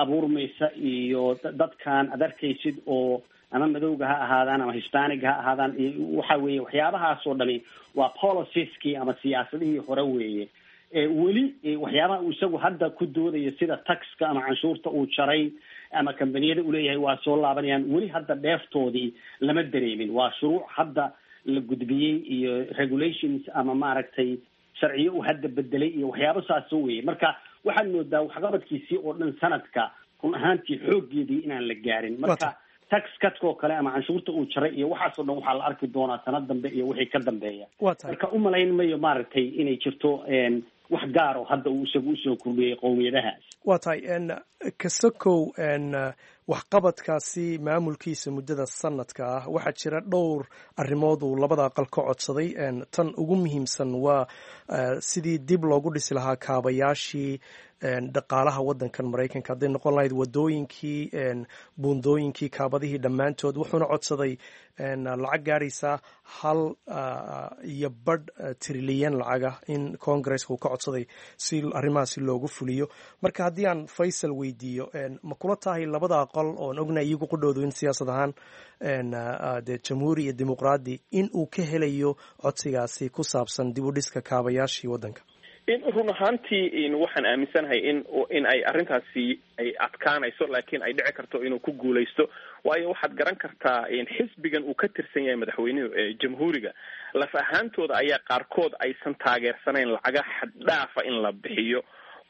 abuurmaysa iyo dadkan ad arkaysid oo ama madowga ha ahaadaan ama Hispaniga ha ahaadaan, waxa weeye waxyaabahaas oo dhami waa policieski ama siyaasadihii hore weeye. Weli waxyaabaha uu isagu hadda ku doodayo, sida taxka ama canshuurta uu jaray ama kambaniyada uleeyahay waa soo laabanayaan, weli hadda dheeftoodii lama dareemin. Waa shuruuc hadda la gudbiyey iyo regulations ama maaragtay sharciyo uu hadda bedelay iyo waxyaabo saasoo weeye. Marka waxaad moodaa waxqabadkiisii oo dhan sanadka run ahaantii xooggeedii inaan la gaarin. Marka tax cutka oo kale ama canshuurta uu jaray iyo waxaasoo dhan waxaa la arki doonaa sanad dambe iyo wixii ka dambeeya. Marka umalayn mayo maaragtay inay jirto wax gaar oo hadda uu isagu usoo kordhiyey qowmiyadahaas. Waa tahay. Kasakow waxqabadkaasi maamulkiisa muddada sanadka ah, waxaa jira dhowr arrimood uu labada aqal ka codsaday. Tan ugu muhiimsan waa sidii dib loogu dhisi lahaa kaabayaashii dhaqaalaha waddankan Maraykanka, hadday noqon lahayd wadooyinkii, buundooyinkii, kaabadihii dhammaantood. Wuxuuna codsaday lacag gaadhaysa hal iyo badh trilyan lacaga in Congresska uu ka codsaday si arrimahaasi loogu fuliyo. Marka haddii aan Faysal weydiiyo, ma kula tahay labada aqal oon ognahay iyagu qudhoodu in siyaasad ahaan dee Jamhuuri iyo Dimuqraadi in uu ka helayo codsigaasi ku saabsan dib u dhiska kaabayaashii waddanka? In run ahaantii waxaan aaminsanahay in in ay arrintaasi ay adkaanayso, laakiin ay dhici karto inuu ku guulaysto, waayo waxaad garan kartaa xisbigan uu ka tirsan yahay madaxweynuhu ee Jamhuuriga laf ahaantooda ayaa qaarkood aysan taageersanayn lacaga xaddhaafa in la bixiyo,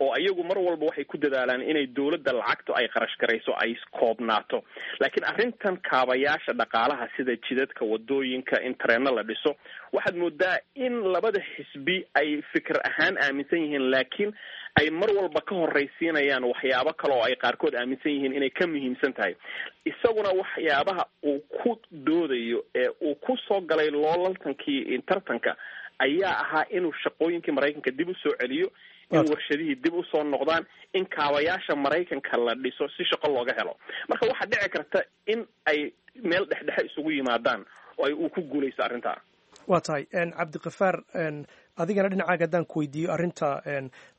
oo ayagu mar walba waxay ku dadaalaan inay dowladda lacagtu ay qarash garayso ay koobnaato. Laakiin arrintan kaabayaasha dhaqaalaha, sida jidadka, wadooyinka, in tareenno la dhiso, waxaad moodaa in labada xisbi ay fikir ahaan aaminsan yihiin, laakiin ay mar walba ka horraysiinayaan waxyaabo kale oo ay qaarkood aaminsan yihiin inay ka muhiimsan tahay. Isaguna waxyaabaha uu ku doodayo ee uu ku soo galay loolaltankii tartanka ayaa ahaa inuu shaqooyinkii Maraykanka dib u soo celiyo, in warshadihii dib usoo noqdaan, in kaabayaasha Maraykanka la dhiso si shaqo looga helo. Marka waxaa dhici karta in ay meel dhexdhexe isugu yimaadaan oo ay uu ku guulaysto arrintaa. Waa tahay, Cabdikafaar. Adigana dhinacaaga haddaan ku weydiiyo arrinta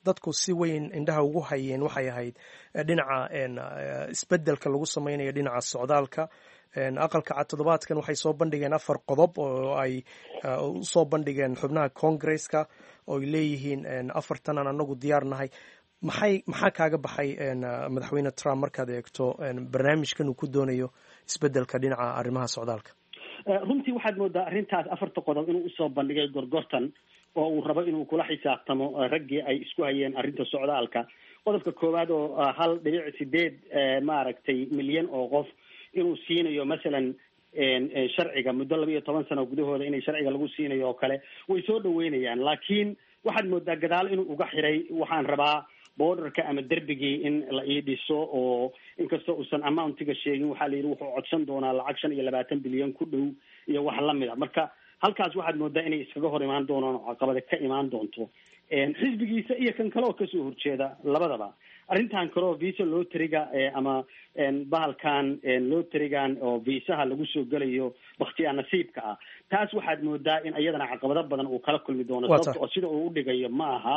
dadku si weyn indhaha ugu hayeen waxay ahayd dhinaca isbeddelka lagu sameynayo dhinaca socdaalka. Aqalka Cad toddobaadkan waxay soo bandhigeen afar qodob oo ay usoo bandhigeen xubnaha Congresska, oo ay leeyihiin afartan aan anagu diyaar nahay. Maxay maxaa kaaga baxay madaxweyne Trump markaad eegto barnaamijkan uu ku doonayo isbeddelka dhinaca arrimaha socdaalka? Runtii waxaad moodaa arrintaas afarta qodob inuu usoo bandhigay gorgortan oo uu rabo inuu kula xisaabtamo raggii ay isku hayeen arrinta socdaalka. Qodobka koowaad oo hal dhibic sideed maaragtay milyan oo qof inuu siinayo masalan sharciga muddo laba iyo toban sano gudahooda inay sharciga lagu siinayo oo kale, way soo dhaweynayaan. Laakiin waxaad moodaa gadaal inuu uga xiray, waxaan rabaa borderka ama derbigii in la ii dhiso, oo inkastoo uusan amountiga sheegin, waxaa la yidhi wuxuu codsan doonaa lacag shan iyo labaatan bilyan ku dhow iyo wax lamid a. Marka halkaas waxaad moodaa inay iskaga hor imaan doonaan oo caqabada ka imaan doonto xisbigiisa iyo kan kale oo kasoo horjeeda labadaba. Arrintan kale oo visa lotteryga ama bahalkan lotterygan oo viisaha lagu soo gelayo bakhtiyaa nasiibka ah, taas waxaad moodaa in iyadana caqabado badan uu kala kulmi doono, sababta oo sida uu udhigayo ma aha.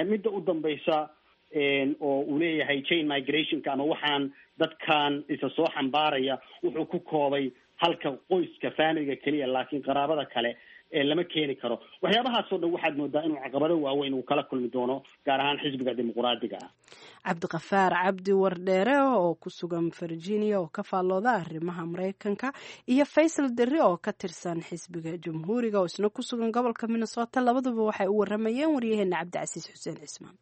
Midda u dambaysa oo uu leeyahay chain migrationka ama waxaan dadkan isa soo xambaaraya, wuxuu ku koobay halka qoyska familiga keliya, laakiin qaraabada kale lama keeni karo. Waxyaabahaasoo dhan waxaad moodaa inuu caqabado waaweyn uu kala kulmi doono, gaar ahaan xisbiga dimuquraadiga ah. Cabdiqafaar Cabdi Wardheere oo ku sugan Virginia oo ka faallooda arrimaha Maraykanka, iyo Faysal Derri oo ka tirsan xisbiga Jamhuuriga oo isna ku sugan gobolka Minnesota, labaduba waxay u waramayeen waryaheena Cabdicasiis Xuseen Cismaan.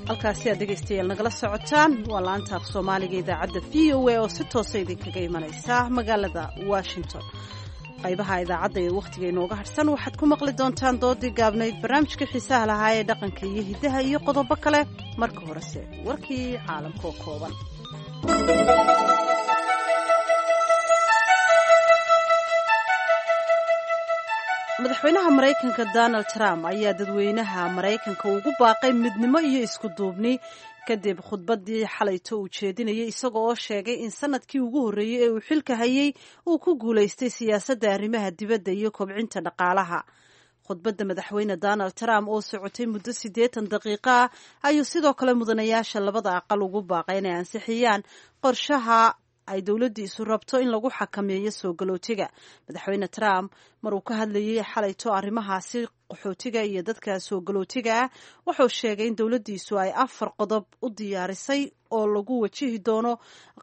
Halkaasi aad dhegaystayaal nagala socotaan waa laanta af Soomaaliga idaacadda V O A oo si toosa idinkaga imanaysa magaalada Washington. Qaybaha idaacadda ee wakhtiga inooga harhsan waxaad ku maqli doontaan doodii gaabnayd, barnaamijka xiisaha lahaa ee dhaqanka iyo hiddaha iyo qodobo kale. Marka horese warkii caalamka oo kooban. Madaxweynaha Maraykanka Donald Trump ayaa dadweynaha Maraykanka ugu baaqay midnimo iyo isku duubni kadib khudbaddii xalayto uu jeedinayay, isaga oo sheegay in sanadkii ugu horreeyey ee uu xilka hayay uu ku guulaystay siyaasadda arrimaha dibadda iyo kobcinta dhaqaalaha. Khudbadda madaxweyne Donald Trump oo socotay muddo siddeetan daqiiqo ah ayuu sidoo kale mudanayaasha labada aqal ugu baaqay inay ansixiyaan qorshaha ay dowladdiisu rabto in lagu xakameeyo soo galootiga. Madaxweyne Trump mar uu ka hadlayay xalayto arrimahaasi qaxootiga iyo dadka soo galootiga ah, wuxuu sheegay in dowladdiisu ay afar qodob u diyaarisay oo lagu wajihi doono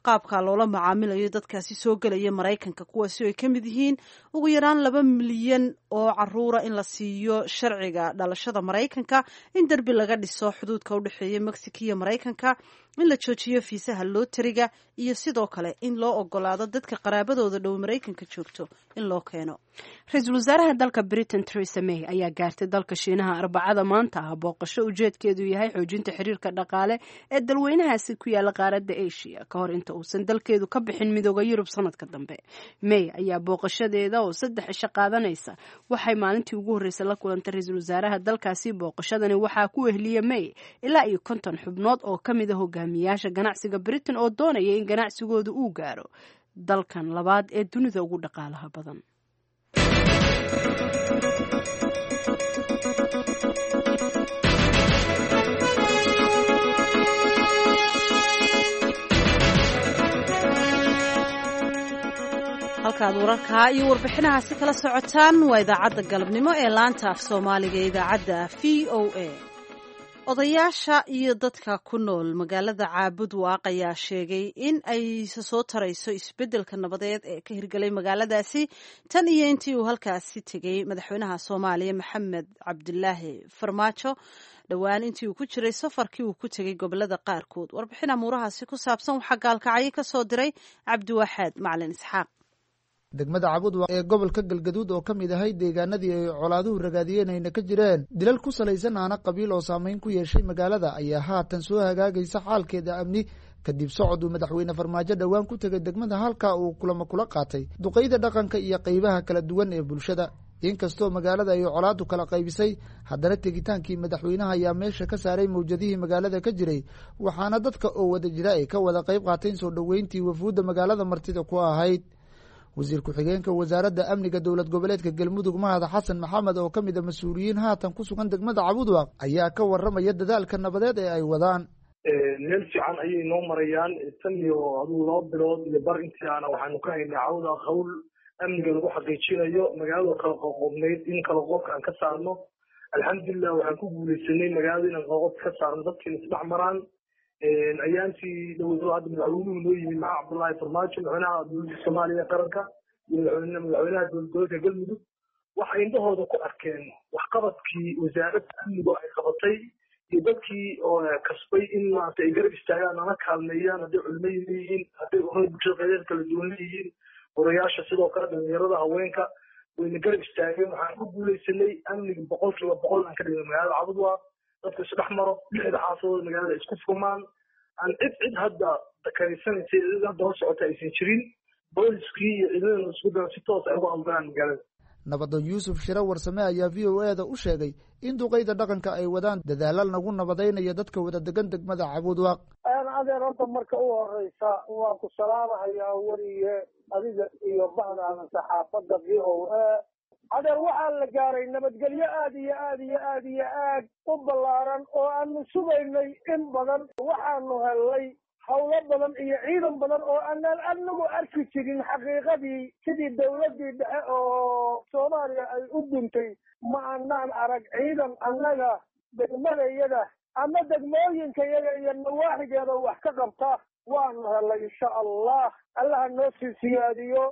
qaabka loola macaamilayo dadkaasi soo gelaya Maraykanka, kuwaasi oo ay ka mid yihiin ugu yaraan laba milyan oo caruura in la siiyo sharciga dhalashada Maraykanka, in derbi laga dhiso xuduudka u dhexeeya Mexico iyo Maraykanka, in la joojiyo fiisaha looteriga, iyo sidoo kale in loo ogolaado dadka qaraabadooda dhow Maraykanka joogto in loo keeno. Ra-iisul wasaaraha dalka Britain Theresa May ayaa gaartay dalka Shiinaha Arbacada maanta ah, booqasho ujeedkeedu yahay xoojinta xiriirka dhaqaale ee dalweynahaasi ku yaala qaaradda Asia ka hor inta uusan dalkeedu ka bixin Midooda Yurub sanadka dambe. May ayaa booqashadeeda oo saddex cisho qaadanaysa waxay maalintii ugu horreysay la kulantay ra-iisul wasaaraha dalkaasi. Booqashadani waxaa ku ehliya May ilaa iyo konton xubnood oo ka mid a hogaamiyaasha ganacsiga Britain oo doonaya in ganacsigooda uu gaaro dalkan labaad ee dunida ugu dhaqaalaha badan. Halkaad wararkaa iyo warbixinahaasi kala socotaan waa idaacadda galabnimo ee laanta af Soomaaliga ee idaacadda V O A. Odayaasha iyo dadka ku nool magaalada Caabud Waaq ayaa sheegay in ay soo tarayso isbeddelka nabadeed ee ka hirgalay magaaladaasi tan iyo intii uu halkaasi tegey madaxweynaha Soomaaliya Maxamed Cabdilaahi Farmaajo dhowaan intii uu ku jiray safarkii uu ku tegey gobolada qaarkood. Warbixin amuurahaasi ku saabsan waxaa gaalkacyo ka soo diray Cabdiwaxaad Macalin Isxaaq. Degmada Cabudwaaq ee gobolka Galgaduud oo ka mid ahay deegaanadii ay colaaduhu ragaadiyeen ayna ka jireen dilal ku salaysan aana qabiil oo saameyn ku yeeshay magaalada ayaa haatan soo hagaagaysa xaalkeeda amni kadib socod uu madaxweyne Farmaajo dhowaan ku tegay degmada, halka uu kulamo kula qaatay duqeyda dhaqanka iyo qeybaha kala duwan ee bulshada. Inkastoo magaalada ay colaadu kala qaybisay, haddana tegitaankii madaxweynaha ayaa meesha ka saaray mawjadihii magaalada ka jiray, waxaana dadka oo wada jira ay ka wada qayb qaateen soo dhoweyntii wafuudda magaalada martida ku ahayd. Wasiir ku-xigeenka wasaaradda amniga dowlad goboleedka Galmudug, Mahad Xasan Maxamed, oo ka mid a mas-uuliyiin haatan ku sugan degmada Cabudwaaq, ayaa ka waramaya dadaalka nabadeed ee ay wadaan. Meel fiican ayay noo marayaan. Tan iyo aduu laba bilood iyo bar intii aana waxaanu ka haynay cawda hawl amniga lagu xaqiijinayo magaalada kala qoqobnayd in kala qoobka aan ka saarno. Alxamdulilah, waxaan ku guuleysanay magaalada inaan qoqobka ka saarno, dadkiina isdhex maraan. Ayaantii dhowdo hadda madaxweynuhu noo yimid, Maxamed Cabdullaahi Farmaajo, madaxweynaha dowladda Soomaaliya ee qaranka iyo madaxweyne madaxweynaha dowlad goboleedka Galmudug, waxay indhahooda ku arkeen waxqabadkii wasaaradda amnigu ay qabatay iyo dadkii oo kasbay in maarata ay garab istaagaan, nala kaalmeeyaan, hadday culimo leeyihiin, hadday ururada bulshada qeybeed kala duwan leeyihiin, odayaasha, sidoo kale dhalinyarada, haweenka, wayna garab istaageen. Waxaan ku guuleysanay amniga boqolkiiba boqol aan ka dhigno magaalada Cabudwaaq, dadku isdhex maro, lixda xaafadood magaalada isku furmaan, aan cid cid hadda dakaraysanaysa, cid hadda hor socota aysan jirin. Booliskii iyo ciidamada isku daran si toos ay uga howlgalaan magaalada. Nabadoon Yuusuf Shire Warsame ayaa V O E da u sheegay in duqeyda dhaqanka ay wadaan dadaalo lagu nabadaynayo dadka wada degan degmada Cabudwaaq. Adeer, horta marka u horeysa waan ku salaamahayaa, weriye, adiga iyo bahdaada saxaafadda V O A. Adeer, waxaa la gaaray nabadgelyo aad iyo aad iyo aad iyo aad u ballaaran oo aanu sugaynay in badan. Waxaanu helnay howlo badan iyo ciidan badan oo aanaan anagu arki jirin. Xaqiiqadii, sidii dawladdii dhexe oo Soomaaliya ay u duntay, ma anaan arag ciidan annaga degmadayada ama degmooyinkayaga iyo nawaaxigeeda wax ka qabta. Waanu helnay, insha Allah, Allaha noo sii siyaadiyo.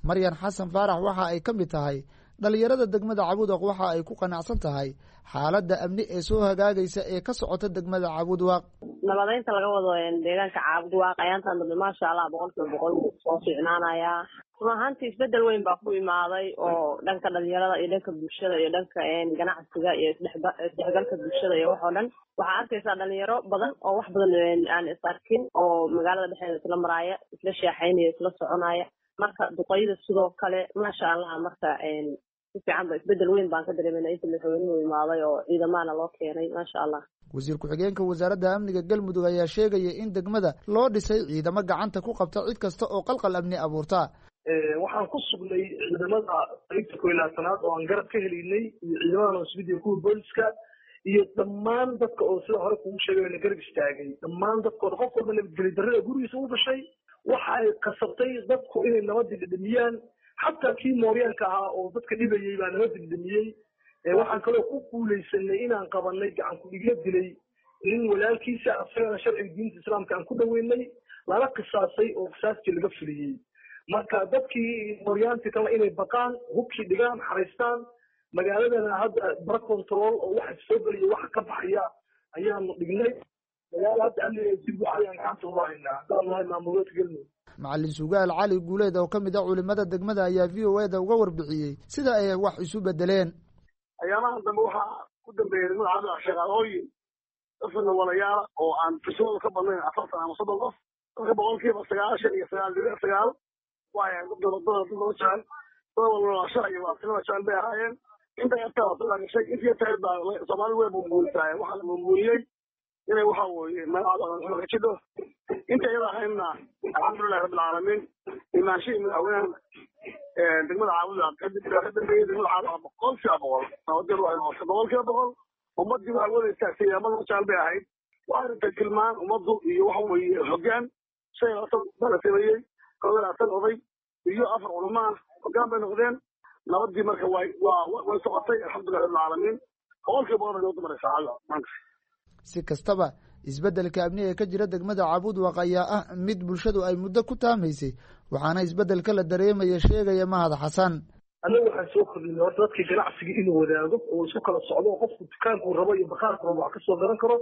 Maryan Xasan Faarax waxa ay ka mid tahay dhalinyarada degmada Cabudwaq. Waxa ay ku qanacsan tahay xaaladda amni ee soo hagaagaysa ee ka socota degmada Cabudwaaq. Nabadeynta laga wado deegaanka Caabudwaaq ayaantan dambe, maasha Allah, boqolkiiba boqol wuu soo fiicnaanayaa. Run ahaantii isbedel weyn baa ku imaaday oo dhanka dhalinyarada iyo dhanka bulshada iyo dhanka ganacsiga iyo isdhexgalka bulshada iyo wax oo dhan. Waxaa arkaysaa dhalinyaro badan oo wax badan aan is arkin oo magaalada dhexdeeda isla maraaya, isla sheexaynaya, isla soconaya. Marka duqeyda sidoo kale, maasha Allah. Marka si fiican ba isbedel weyn baan ka dareemayna inta madaxweynuhu imaaday oo ciidamahana loo keenay, maasha Allah. Wasiir ku-xigeenka wasaaradda amniga Galmudug ayaa sheegaya in degmada loo dhisay ciidamo gacanta ku qabta cid kasta oo qalqal amni abuurta. Waxaan ku sugnay ciidamada qaybta kow iyo labaatanaad oo aan garab ka helaynay iyo ciidamada nabadgelyada iyo kuwa booliska iyo dhammaan dadka oo sida hore kugu sheegay na garab istaagay. Dhammaan dadkooda, qof walba nabadgelyo darrada gurigiisa u gashay waxa ay qasabtay dadku inay nabadda dhedhamiyaan. Xataa kii mooryaanka ahaa oo dadka dhibayay baa nabadda dhedhamiyey. Waxaan kaloo ku guuleysanay inaan qabanay gacan ku-dhigla dilay nin walaalkiisa, asagana sharciga diinta islaamka aan ku dhaweynay, lala qisaasay oo qisaaskii laga fuliyey. Marka dadkii mooryaantii kale inay baqaan, hubkii dhigaan, xaraystaan. Magaaladana hadda bara control oo waxa soo geliya, waxa ka baxaya ayaanu dhignay. Magaala hadda amniga si buuxa ayaan gacanta uga haynaa haddaan nahay maamulgoboleedka Galmudug. Macalin Sugaal Cali Guuleed oo ka mid ah culimada degmada ayaa V O E da uga warbixiyey sida ay wax isu bedeleen. Ayaamahan dambe waxaa ku dambeeyay degmada Cabdi shaqaalooyin dadka walayaala oo aan firsadooda ka badnayn afartan ama soddon qof. Dadka boqolkiiba sagaashan iyo sagaal dhibic sagaal waxay ahayd dad dad dad loo jecel, dad walwalaashaha iyo walaabtinimada jecel bay ahaayeen. Inta yartaa waa soo gashay, intii yartaa baa Soomaali way buunbuunisaay. Waxaa la buunbuuniyey inay waxa weeye magacada ka jidho. Inta iyada ahaydna, alxamdulilahi rabbil caalamiin, imaanshihii madaxweynaha degmada Caabuda kadib ka dambeeyey, degmada Caabuda boqol kiiba boqol nabadgel waxay noqotay boqol kiiba boqol. Ummaddii waxay wada istaagtay amada jecel bay ahayd. Waxay rabtay tilmaan ummaddu iyo waxa weeye hoggaan. Shan iyo labaatan baa la sameeyey, kow iyo labaatan oday iyo afar culamo ah hoggaan bay noqdeen. Nabadii marka way waa way socotay, alxamdulilah rabbil caalamiin, boqol kiiba boqol bay nabaddu maraysaa Caabuda maanta. Si kastaba, isbeddelka amni ee ka jira degmada Cabudwaq ayaa ah mid bulshadu ay muddo ku taamaysay, waxaana isbeddelka la dareemaya sheegaya Mahad Xasan. Annagu waxaan soo kordhinay horta dadkii ganacsiga inuu wadaago oo isku kala socdo oo qofku dukaankuu rabo iyo bakhaarku rabo wax kasoo garan karo.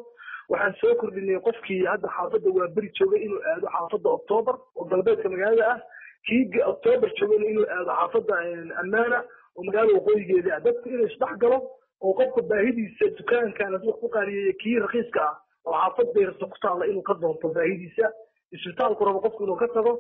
Waxaan soo kordhinay qofkii hadda xaafadda waa beri joogay inuu aado xaafadda Octoobar oo galbeedka magaalada ah, kii Octoobar joogayna inuu aado xaafadda Ammaana oo magaalada waqooyigeeda ah. Dadku inuu isdhex galo oo qofka baahidiisa dukaankan hadduu wax ku qaaliyeeyo, kii rakiiska ah oo xaafad bayrasa ku taalla inuu ka doonto baahidiisa, isbitaalku rabo qofku inuu ka tago,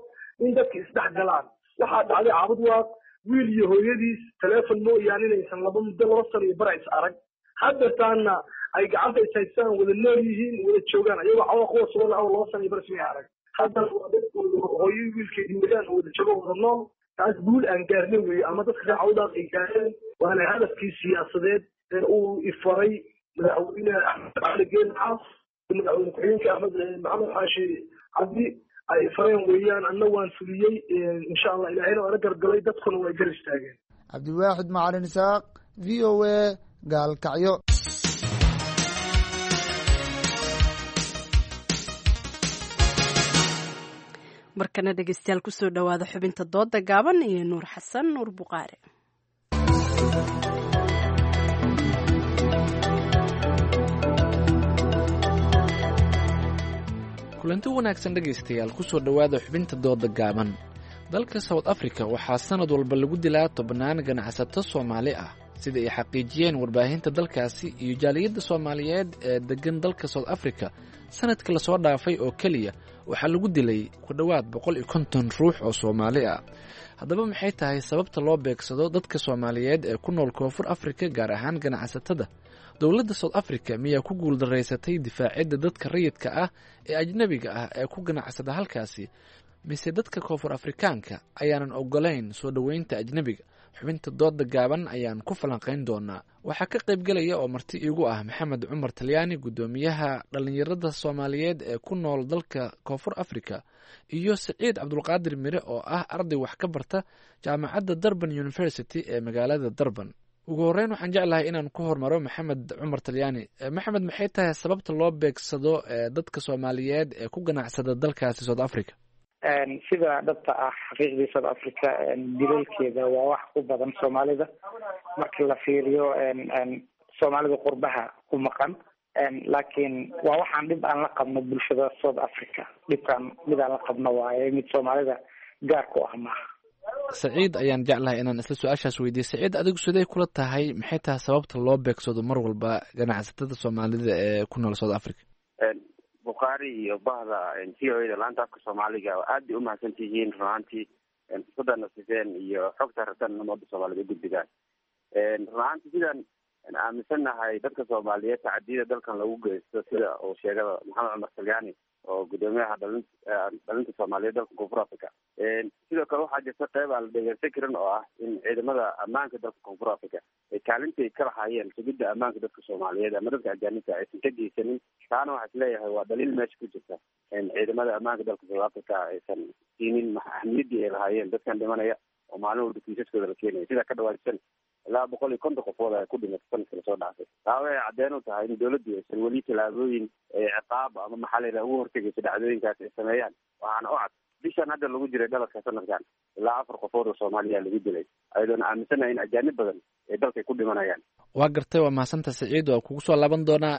in dadka isdhex galaan. Waxaa dhacday Caabudwaaq Wiil iyo hooyadiis teleefon mooyaane inaysan laba muddo laba sano iyo bara is arag, haddeertaana ay gacanta is haystaan, wada nool yihiin, wada joogaan, ayagoo cawa kuwa sugan aw laba sano iyo bara ismay arag. Haddana waa dadkooda hooyo wiilkeedii wadaan oo wada joogo, wada nool. Taas guul aan gaarnay weeye ama dadka reer Cawdaaq ay gaareen, waana hadafkii siyaasadeed ee uu ifaray Madaxweyne Axmed Cali Geed Xaas, Madaxweyne ku-xigeenka Axmed Maxamed Xaashi Cabdi ay fareen weeyaan. Anna waan fuliyey, insha Allah, Ilaahayna waa la gargalay, dadkuna way gar istaageen. Cabdiwaaxid Macalin Isaaq, V O A, Gaalkacyo. Markana dhegeystayaal, kusoo dhowaada xubinta dooda gaaban iyo Nuur Xasan Nuur Buqaare. Kulanti wanaagsan dhegaystayaal, kusoo dhowaada xubinta dooda gaaban. Dalka South Africa waxaa sanad walba lagu dilaa tobannaan ganacsato Soomaali ah, sida ay xaqiijiyeen warbaahinta dalkaasi iyo jaaliyadda Soomaaliyeed ee deggan dalka South Africa. Sanadka lasoo dhaafay oo keliya waxaa lagu dilay ku dhowaad boqol iyo konton ruux oo Soomaali ah. Haddaba maxay tahay sababta loo beegsado dadka Soomaaliyeed ee ku nool Koonfur Afrika, gaar ahaan ganacsatada? Dowladda South Africa miyaa ku guuldaraysatay difaacidda dadka rayidka ah ee ajnebiga ah ee ku ganacsada halkaasi, mise dadka Koonfur Afrikaanka ayaanan ogolayn soo dhoweynta ajnebiga? Xubinta dooda gaaban ayaan ku falanqayn doonaa. Waxaa ka qaybgelaya oo marti iigu ah Maxamed Cumar Talyaani, guddoomiyaha dhallinyarada Soomaaliyeed ee ku nool dalka Koonfur Africa, iyo Siciid Cabdulqaadir Mire oo ah arday wax ka barta jaamacadda Durban University ee magaalada Durban. Ugu horreyn waxaan jeclahay inaan ku hormaro Maxamed Cumar Talyaani. Maxamed, maxay tahay sababta loo beegsado dadka Soomaaliyeed ee ku ganacsada dalkaasi South Africa? Sida dhabta ah, xaqiiqdii South Africa dilalkeeda waa wax ku badan Soomaalida marka la fiiriyo Soomaalida qurbaha ku maqan, laakiin waa waxaan dhib aan la qabno bulshada South Africa. Dhibkaan mid aan la qabno waaye, mid Soomaalida gaar ku ah maaha. Saciid ayaan jeclahay inaan isla su-aashaas weydiiye. Saciid, adigu siday kula tahay, maxay tahay sababta loo beegsado mar walba ganacsatada Soomaalida ee ku nool South Africa? Bukhaari iyo bahda V O A da laanta afka Soomaaliga aad bay umahadsan tihiin run ahaantii fursadana siseen iyo xogta rabtaan umada Soomaaliyed ugudbigaan. Run ahaantii sidaan aaminsannahay, dadka Soomaaliyeed tacadiyada dalkan lagu geysto, sida uu sheegada Maxamed Cumar Talyaani oo guddoomiyaha dhalin dhalinta Soomaaliyeed dalka Koonfur Africa, sidoo kale waxaa jirta qeyb aan la dhegeysan karin oo ah in ciidamada ammaanka dalka Koonfur Africa ay kaalintii ka lahaayeen sugidda ammaanka dadka Soomaaliyeed ama dadka ajaanibta aysan ka geysanin. Taana waxaa isleeyahay waa dhaliil meesha ku jirta in ciidamada ammaanka dalka South Africa aysan siinin ahmiyaddii ay lahaayeen dadkan dhimanaya oo maalin walba kiisaskooda la keenaya. Sidaa ka dhawaajsan, ilaa boqol iyo konton qofood ay ku dhimatay sanadka lasoo dhaafay. Taa waxay cadeen u tahay in dowladdu aysan weli tallaabooyin ciqaab ama maxaa la yidhaha ugu hortegaysa dhacdooyinkaas ay sameeyaan. Waxaana u cad bishan hadda lagu jiray dhaladka sanadkan ilaa afar qofood oo Soomaaliya lagu dilay, ayadoona aaminsanahay in ajaanib badan ay dalkay ku dhimanayaan. Waa gartay, waa mahadsantaha Saciid, waa kugu soo laaban doonaa.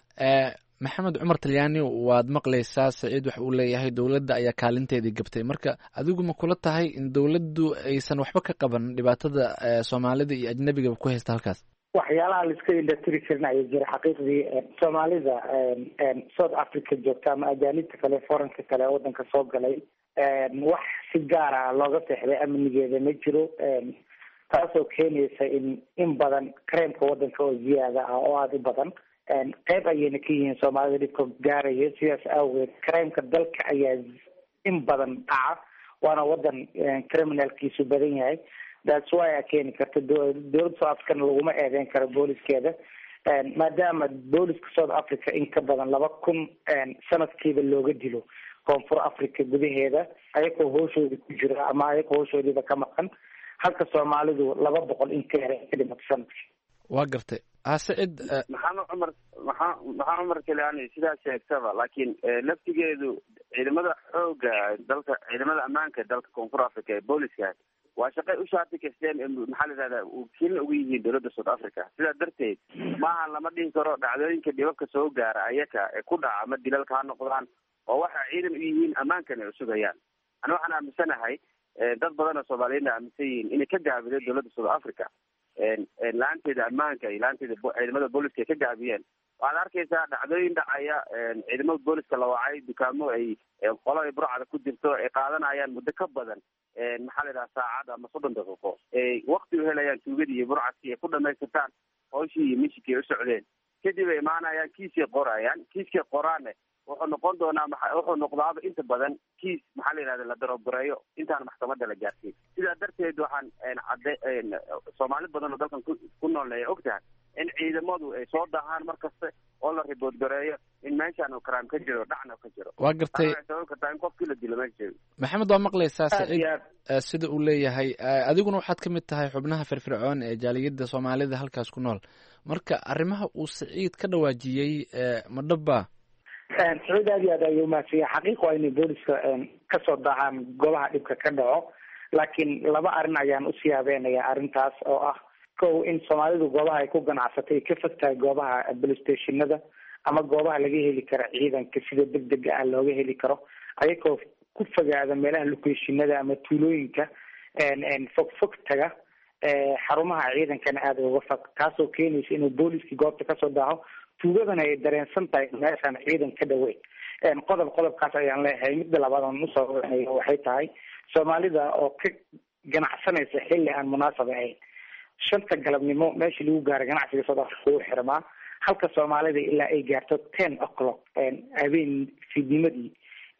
Maxamed Cumar Talyaani, waad maqlaysaa Saciid waxa uu leeyahay dowladda ayaa kaalinteedii gabtay. Marka adigu ma kula tahay in dowladdu aysan waxba ka qaban dhibaatada Soomaalida iyo ajnebigaba ku haysta halkaas? Waxyaalaha la iska indhatiri karin ayaa jira xaqiiqdii. Soomaalida South Africa joogta ama ajaanibta kale, foreign-ka kale waddanka soo galay, wax si gaar ah looga seexday amnigeeda ma jiro, taasoo keenaysa in in badan crime-ka waddanka oo ziyaada ah oo aada u badan. Qeyb ayayna ka yihiin Soomaalida dhibka gaaraya. Sidaas awgeed crime-ka dalka ayaa in badan dhaca, waana wadan criminal-kiisu badan yahay. That's why a keeni karta. Dowladda South Africana laguma eedeyn karo booliskeeda, maadaama booliska South Africa in ka badan laba kun sanadkiiba looga dilo Koonfur Africa gudaheeda ayagoo hooshooda ku jira ama ayagoo hooshoodiiba ka maqan, halka Soomaalidu laba boqol in ka yara ka dhimato sanadkii. Waa gartay, ha Sacid. Maxamed Cumar, maxaa Maxamed Cumar Talyaani sidaa sheegtaba, laakiin laftigeedu ciidamada xooga dalka, ciidamada ammaanka dalka Koonfur Africa ee booliska waa shaqay u shaati kasteen, maxaa la yidhahdaa, wakiilna uga yihiin dowladda South Africa. Sidaa darteed maaha lama dhihi karo dhacdooyinka dhibabka soo gaara ayaka ee ku dhaca ama dilalka ha noqdaan oo waxa ciidan u yihiin ammaankan ay usugayaan. Ani waxaan aaminsanahay, dad badan oo Soomaaliyeedna aaminsan yihiin, inay ka gaabiday dowladda South Africa Laanteeda ammaanka iyo laanteeda ciidamada booliska ay ka gaabiyeen. Waxaad arkaysaa dhacdooyin dhacaya, ciidamada booliska la wacay, dukaamo ay qolo ay burcada ku jirto ay qaadanayaan muddo ka badan, maxaa la yidhaha, saacad ama soddon daqiiqo, ay wakti u helayaan tuugadii iyo burcadkii ay ku dhamaystirtaan hawshii iyo mishikii ay u socdeen. Kadib ay imaanayaan, kiisay qorayaan, kiiskay qoraanne wuxuu noqon doonaa, wuxuu noqdaaba inta badan kiis, maxaa la yidhahda, la darogareeyo intaan maxkamadda la gaarsiin. Sidaa darteed waxaan cadde Soomaali badan oo dalkan ku noolna ay og tahay in ciidamadu ay soo daahaan mar kasta oo la ribood gareeyo in meeshaan uu crime ka jiro, dhacna ka jiro. Waa gartay. Waxay sababi kartaa in qofkii la dilo meesha joogo. Maxamed, waa maqlaysaa Saciid sida uu leeyahay. Adiguna waxaad ka mid tahay xubnaha firfircoon ee jaaliyadda Soomaalida halkaas ku nool. Marka arrimaha uu Saciid ka dhawaajiyey ma dhaba? Saciid aad iyo aad ayuu umahadsanya. Xaqiiq waa inay booliska kasoo daacaan goobaha dhibka ka dhaco, laakiin laba arrin ayaan usii habeenaya arrintaas oo ah: kow, in Soomaalidu goobaha ay ku ganacsatay ka fog tahay goobaha police stationada ama goobaha laga heli karo ciidanka sida degdega ah looga heli karo, ayagoo ku fogaada meelaha locationada ama tuulooyinka fog fog taga, xarumaha ciidankana aada uga fog, taasoo keenaysa inuu booliskii goobta kasoo daaho, tuugadana ay dareensan tahay meeshaan ciidan ka dhaweyn. Qodob qodobkaas ayaan leeyahay. Midda labaad aan usoo wanayo waxay tahay Soomaalida oo ka ganacsanaysa xilli aan munaasab ahayn. Shanta galabnimo meeshii lagu gaaro ganacsiga South Africa wuu xirmaa, halka Soomaalida ilaa ay gaarto ten o'clock habeen fiidnimadii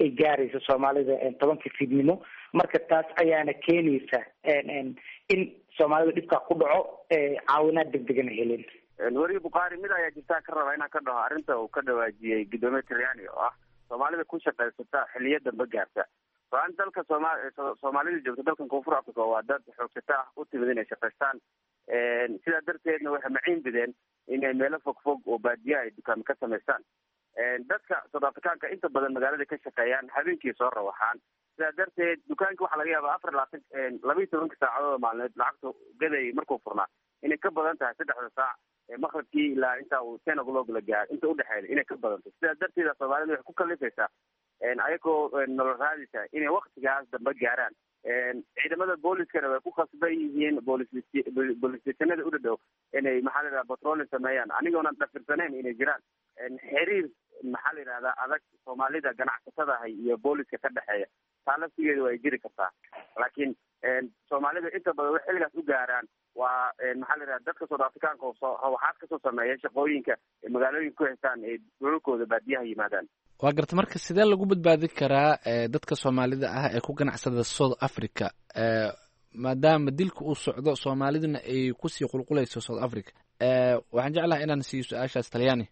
ay gaarayso Soomaalida, tobankii fiidnimo. Marka taas ayaana keenaysa in Soomaalida dhibkaa ku dhaco, caawinaad degdegana helin. Weriye Bukhaari, mid ayaa jirtaa ka raba inaan ka dhaho arrinta uu ka dhawaajiyey guddoomiye Talyaani oo ah Soomaalida ku shaqaysata xiliyo dambe gaarta. Aan dalka sooma Soomaalida joogta dalkan Koonfur Africa waa dad xoogsata ah, u timid inay shaqaystaan. Sidaa darteedna waxay maciin bideen inay meelo fog fog oo baadiya ay dukaamo ka samaystaan. Dadka South Africaanka inta badan magaalada ka shaqeeyaan, habeenkii soo rawaxaan. Sidaa darteed dukaanka waxaa laga yaabaa afar labaatan laba iyo tobanka saacadood maalineed lacagta gaday markuu furnaa inay ka badan tahay saddexda saac ee maqribkii ilaa inta uu ten o'clock la gaaro inta udhexeeda inay ka badanto. Sidaa darteeda Soomaalida waxay ku kalifaysaa, ayagoo nolol raadisa, inay waktigaas dambe gaaraan. Ciidamada booliskana way ku khasban yihiin boolis police stationada u dhadhow inay, maxaa la yidhahda, patrolling sameeyaan. Anigoona dhafirsanayn inay jiraan xiriir, maxaa la yidhahdaa, adag Soomaalida ganacsatadahay iyo booliska ka dhexeeya, taa laftigeeda waa ay jiri kartaa. Laakiin Soomaalida inta badan waxay xilligaas u gaaraan waa, maxaa la yidhahda, dadka South Africaanka oo soo waxaad kasoo sameeya shaqooyinka ay magaalooyinka ku haystaan ay dhulalkooda baadiyaha yimaadaan. Waa garta. Marka sidee lagu badbaadi karaa dadka Soomaalida ah ee ku ganacsada South Africa, maadaama dilka uu socdo, Soomaaliduna ay kusii qulqulayso South Africa? Waxaan jeclahay inaan siiyo su-aashaas Talyaani.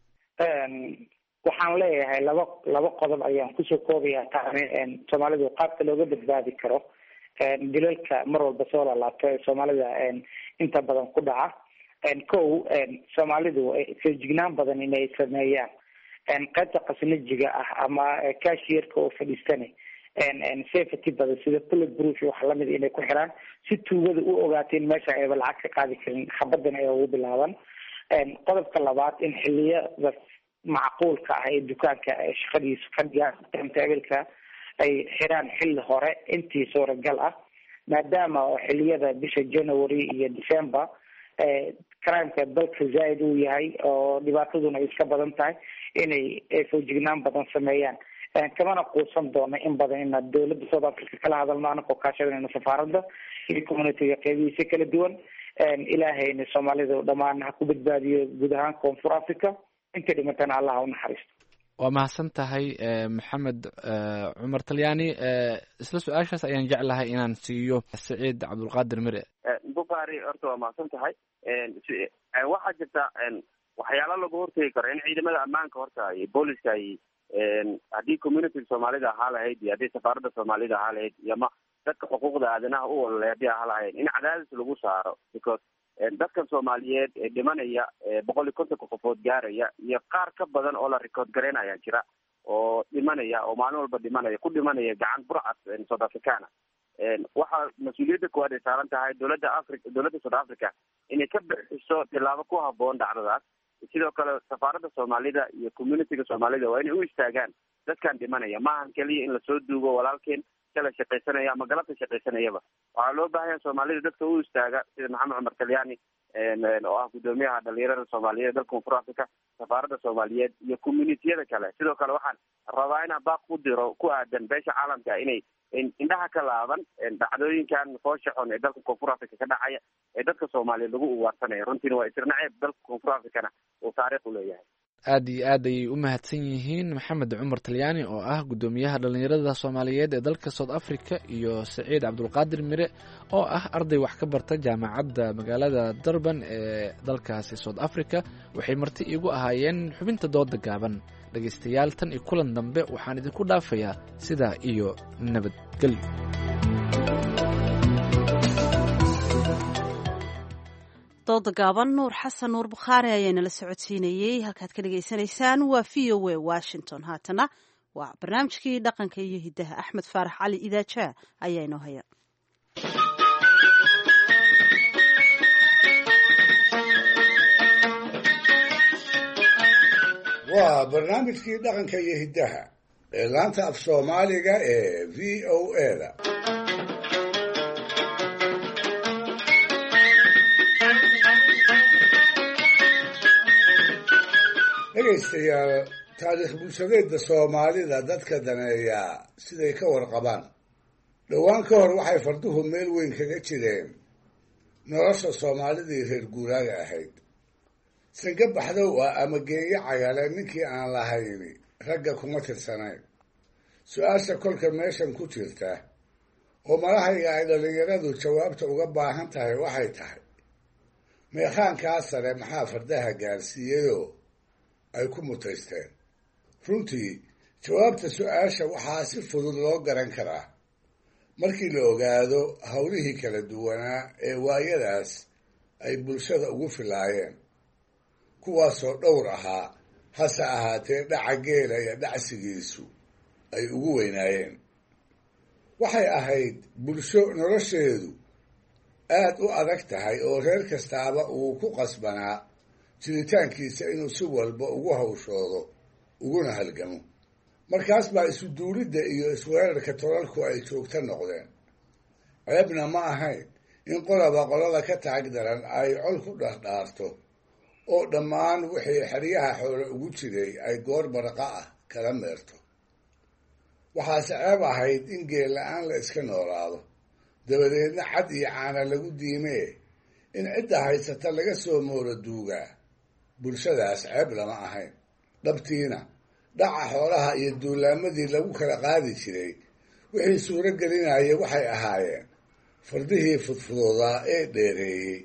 Waxaan leeyahay laba laba qodob ayaan kusoo koobaya taani. Soomaalidu qaabka looga badbaadi karo dilalka mar walba soo laalaabto ee Soomaalida inta badan ku dhaca: kow, Soomaalidu feejignaan badan inay sameeyaan, qaybta khasnajiga ah ama cashierka oo fadhiistane safety badan sida bullet proof iyo wax lamid inay ku xiraan, si tuugada u ogaato in meesha ayba lacag ka qaadi karin, xabadana ay ugu bilaaban. Qodobka labaad, in xiliyada macquulka ah ee dukaanka shaqadiisu ka dhigaan timetable-ka ay xiraan xilli hore intii suuragal ah, maadaama oo xiliyada bisha January iyo December crimeka dalka zaaid uu yahay oo dhibaataduna ay iska badan tahay, inay foojignaan badan sameeyaan. Kamana quusan doono in badan inaad dowladda South Africa kala hadalno, anagoo kaashadanayno safaaradda iyo communityga qeybihiisa kala duwan. Ilaahayna Soomaalida dhammaan ha ku badbaadiyo guud ahaan Koonfur Africa, inta dhimatana Allah ha u naxariisto. Waa mahadsan tahay, Maxamed Cumar Talyaani. Isla su-aashaas ayaan jeclahay inaan siiyo Saciid Cabdulqaadir Mire. Bukhaari, horta waa mahadsan tahay. Waxaa jirta waxyaalo lagu hortegi karo in ciidamada ammaanka horta iyo booliska ay, haddii community Soomaalida ahaa lahayd iyo haddii safaaradda Soomaalida ahaa lahayd iyo ama dadka xuquuqda aadanaha u ololay haddii ahaa lahayd, in cadaadis lagu saaro, because dadkan Soomaaliyeed ee dhimanaya boqol iyo kontonka qofood gaaraya iyo qaar ka badan oo la record garaynaya jira oo dhimanaya oo maalin walba dhimanaya, ku dhimanaya gacan burcad South Africana, waxaa mas-uuliyadda koowaad ay saaran tahay dowladda Africa, dowladda South Africa, inay ka bixiso tillaabo ku haboon dhacdadaas. Sidoo kale safaaradda Soomaalida iyo communityga Soomaalida waa inay u istaagaan dadkan dhimanaya. Maahan keliya in lasoo duugo walaalkeen kala shaqaysanaya ama galabta shaqaysanayaba. Waxaa loo baahanya Soomaalida dadka u istaaga sida Maxamed Cumar Talyaani, oo ah guddoomiyaha dhalinyarada soomaaliyeed dalka Koonfur Africa, safaaradda Soomaaliyeed iyo communitiyada kale. Sidoo kale waxaan rabaa inaan baaq u diro ku aadan beesha caalamka inay indhaha ka laaban dhacdooyinkan foosha xun ee dalka Koonfur Africa ka dhacaya ee dadka Soomaaliyeed lagu ugaarsanaya. Runtiina waa isirnaceeb dalka Koonfur Africana uu taariikh u leeyahay. Aad iyo aad ayay u mahadsan yihiin Maxamed Cumar Talyaani oo ah guddoomiyaha dhalinyarada Soomaaliyeed ee dalka South Africa iyo Saciid Cabdulqaadir Mire oo ah arday wax ka barta jaamacadda magaalada Durban ee dalkaasi South Africa. Waxay marti iigu ahaayeen xubinta dooda gaaban. Dhegaystayaal, tan iyo kulan dambe waxaan idinku dhaafayaa sidaa iyo nabadgelyo. Dooda gaaban Nuur Xasan Nuur Bukhaari ayaa nala socodsiinayey. Halkaad ka dhagaysanaysaan waa V O A Washington. Haatana waa barnaamijkii dhaqanka iyo hiddaha, Axmed Faarax Cali Idaajaa ayaa inoo haya. Waa barnaamijkii dhaqanka iyo hiddaha ee laanta af Soomaaliga ee V O A da. Dhegaystayaal, taariikh bulshadeedda Soomaalida dadka daneeyaa siday ka warqabaan, dhowaan ka hor waxay farduhu meel weyn kaga jireen nolosha Soomaalidii reer guuraaga ahayd. Sanka baxdow ah ama geeyo cagale ninkii aan lahayni ragga kuma tirsanayn. Su-aasha kolka meeshan ku jirta oo malahayga ay dhallinyaradu jawaabta uga baahan tahay waxay tahay: meekhaankaa sare maxaa fardaha gaarsiiyeyoo ay ku mutaysteen? Runtii jawaabta su-aasha waxaa si fudud loo garan karaa markii la ogaado howlihii kala duwanaa ee waayadaas ay bulshada ugu filaayeen, kuwaasoo dhowr ahaa, hase ahaatee dhaca geela iyo dhacsigiisu ay ugu weynaayeen. Waxay ahayd bulsho nolosheedu aad u adag tahay oo reer kastaaba uu ku qasbanaa jiritaankiisa inuu si walba ugu hawshoodo uguna halgamo. Markaas baa isu duulidda iyo isweerarka tolalku ay joogto noqdeen. Ceebna ma ahayn in qolaba qolada ka taag daran ay col ku dhardhaarto oo dhammaan wixii xeryaha xoole ugu jiray ay goor baraqa ah kala meerto. Waxaase ceeb ahayd in geel la-aan la iska noolaado, dabadeedna cad iyo caana lagu diimee in cidda haysata laga soo moora duugaa bulshadaas ceeb lama ahayn. Dhabtiina dhaca xoolaha iyo duulaamadii lagu kala qaadi jiray wixii suuro gelinaya waxay ahaayeen fardihii fudfudoodaa ee dheereeyey,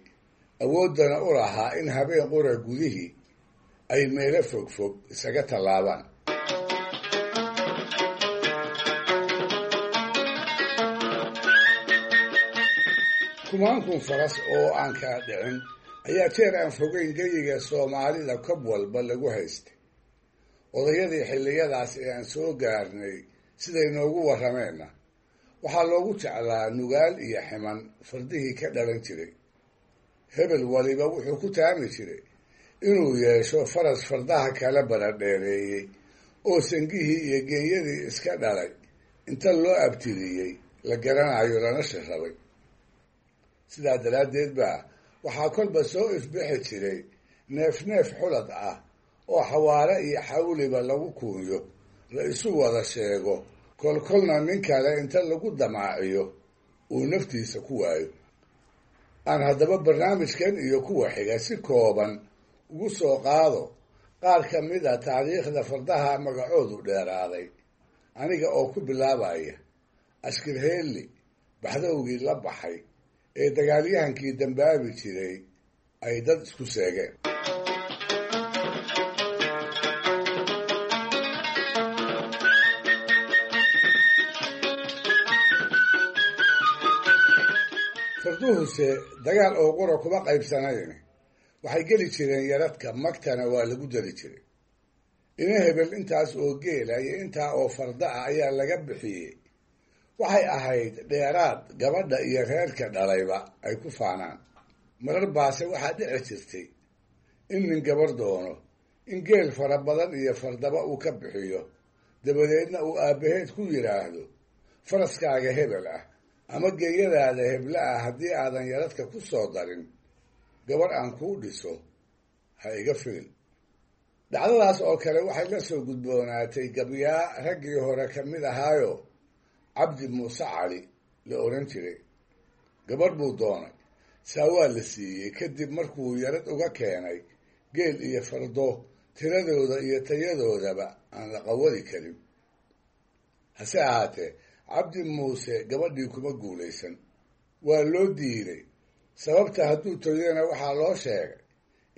awooddana u lahaa in habeen qura gudihii ay meelo fogfog isaga tallaabaan. Kumaankun faras oo aan kala dhicin ayaa jeer aan fogeyn geyiga Soomaalida kob walba lagu haystay. Odayadii xilliyadaas ee aan soo gaarnay siday noogu warrameenna waxaa loogu jeclaa nugaal iyo ximan fardihii ka dhalan jiray. Hebel waliba wuxuu ku taami jiray inuu yeesho faras fardaha kala baradheereeyey oo sangihii iyo geeyadii iska dhalay inta loo abtiriyey la garanayo lana shirrabay. Sidaa daraaddeed baa waxaa kolba soo ifbixi jiray neef neef xulad ah oo xawaare iyo xawliba lagu kuunyo, la isu wada sheego, kolkolna nin kale inta lagu damaaciyo uu naftiisa ku waayo. Aan haddaba barnaamijkan iyo kuwa xiga si kooban ugu soo qaado qaar ka mid a taariikhda fardaha magacoodu dheeraaday, aniga oo ku bilaabaya Ashkirheelli baxdowgii la baxay ee dagaalyahankii dambaabi jiray ay dad isku seegeen. Farduhuse dagaal oo qura kuma qaybsanayn, waxay geli jireen yaradka, magtana waa lagu dari jiray. Ina hebel intaas oo geela iyo intaa oo farda ah ayaa laga bixiyey. Waxay ahayd dheeraad gabadha iyo reerka dhalayba ay ku faanaan. Marar baase waxaa dhici jirtay in nin gabar doono in geel fara badan iyo fardaba uu ka bixiyo, dabadeedna uu aabbaheed ku yidhaahdo: faraskaaga hebel ah ama geeyadaada hebla ah haddii aadan yaradka ku soo darin, Gabarh aan kuu dhiso ha iga filin. Dhacdadaas oo kale waxay la soo gudboonaatay gabyaa raggii hore ka mid ahaayo Cabdi Muuse Cali la odhan jiray. Gabadh buu doonay, saa waa la siiyey kadib markuu yarad uga keenay geel iyo fardo tiradooda iyo tayadoodaba aan la qawadi karin. Hase ahaatee Cabdi Muuse gabadhii kuma guulaysan, waa loo diiday. Sababta hadduu toyana waxaa loo sheegay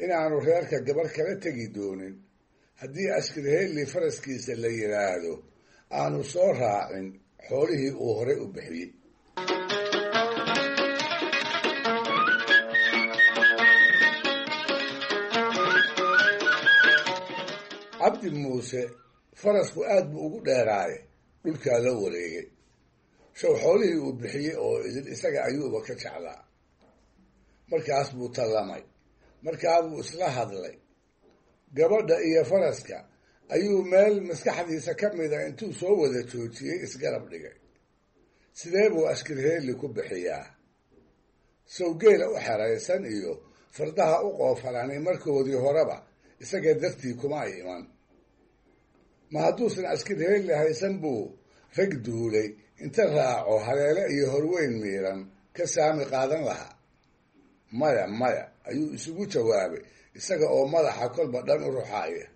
inaanu reerka gabadh kala tegi doonin haddii Ashkirheelli faraskiisa la yidhaahdo aanu soo raacin xoolihii uu horey u bixiyey. Cabdi Muuse farasku aad buu ugu dheeraaye dhulkaa la wareegay. Show xoolihii uu bixiyey oo idin isaga ayuuba ka jeclaa. Markaas buu tallamay, markaa buu isla hadlay. Gabadha iyo faraska ayuu meel maskaxdiisa ka mida intuu soo wada joojiyey isgarab dhigay. Sidee buu Ashkirheelli ku bixiyaa? Sawgeela u xeraysan iyo fardaha u qoofalanay markoodii horeba isaga dartii kuma ay iman. Ma hadduusan Ashkirheelli haysan buu rag duulay inta raaco haleele iyo horweyn miiran ka saami qaadan lahaa. Maya, maya ayuu isugu jawaabay isaga oo madaxa kolba dhan u ruxaaya.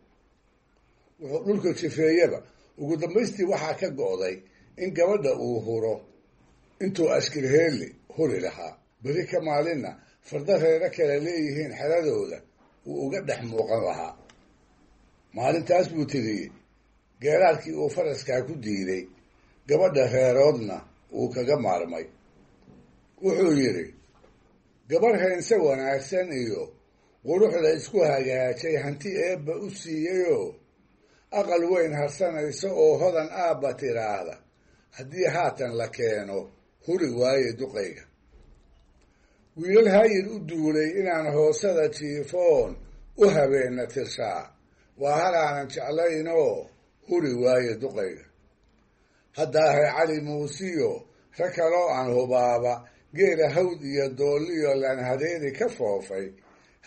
Wuxuu dhulka jifeeyaba ugu dambaystii waxaa ka go'day in gabadha uu huro intuu Ashkirheelli huri lahaa. Beri ka maalinna farda reero kale leeyihiin xeradooda wuu uga dhex muuqan lahaa. Maalintaas buu tiriyey geeraarkii uu faraskaa ku diiday, gabadha reeroodna uu kaga maarmay. Wuxuu yidhi: gabarh heense wanaagsan iyo quruxda isku hagaajay hanti eebba u siiyeyoo aqal weyn harsanaysa oo hodan aabba tiraahda haddii haatan la keeno huri waaye duqayga. Wiilal haayir u duulay inaan hoosada jiifoon u habeenna tirshaa waa halaanan jeclaynoo huri waaye duqayga. Haddaahay Cali Muusiyo rag kaloo aan hubaaba geela hawd iyo doolliyo laanhadeedi ka foofay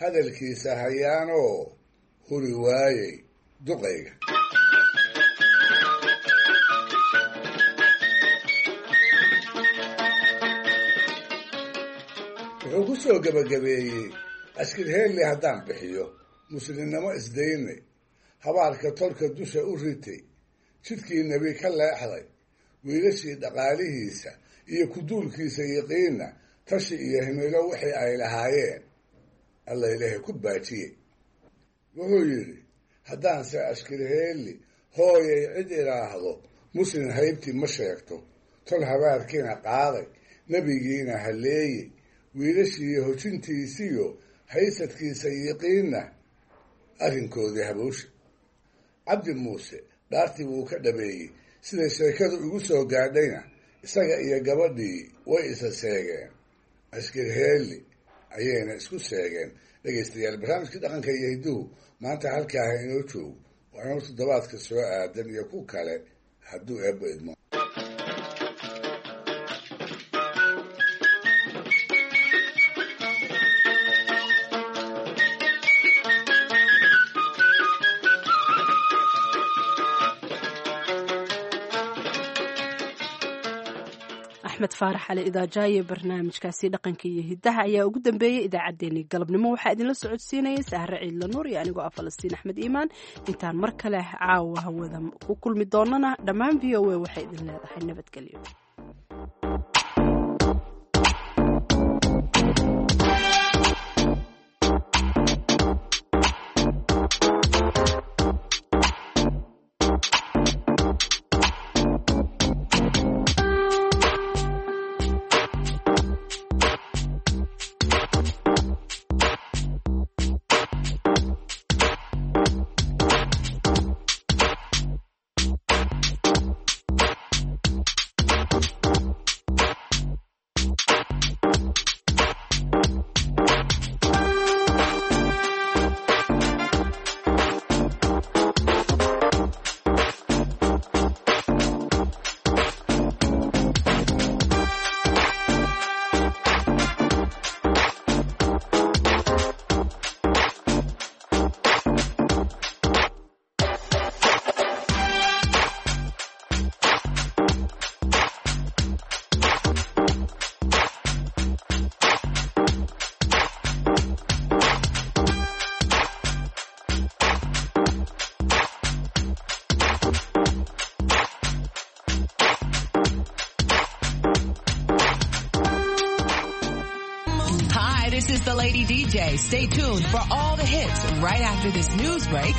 hadalkiisa hayaanoo huri waayey duqayga. Wuxuu ku soo gebagabeeyey: Ashkirheelli haddaan bixiyo muslimnimo isdaynay, habaarka tolka dusha u ritay, jidkii nebi ka leexday, wiilashii dhaqaalihiisa iyo kuduulkiisa yiqiinna tashi iyo himilo wixii ay lahaayeen Alla ilaahay ku baajiyey. Wuxuu yidhi: haddaanse Ashkirheelli hooyay cid idhaahdo muslim haybtii ma sheegto, tol habaarkiina qaaday, nebigiina halleeyey, wiilashii hojintiisiyo haysadkiisa yiqiinna arrinkoodii haboosha. Cabdi Muuse dhaartii wuu ka dhabeeyey. Siday sheekadu igu soo gaadhayna isaga iyo gabadhii way isa seegeen, Ashkirheelli ayayna isku seegeen. Dhegaystayaal, barnaamijkii dhaqanka iyo hidduhu maanta halkaaha inoo joogo. Waa inuu toddobaadka soo aadan iyo ku kale hadduu eebba idmo. Axmed Faarax Cali Idaajaaye barnaamijkaasi dhaqanka iyo hiddaha ayaa ugu dambeeyey idaacaddeenii galabnimo. Waxaa idinla socodsiinayay Sahre Ciidla Nuur iyo anigoo ah Falastiin Axmed Iimaan. Intaan mar kale caawa hawada ku kulmi doonana dhammaan V O A waxay idin leedahay nabadgelyo. Lady D J. Stay tuned for all the hits right after this news break.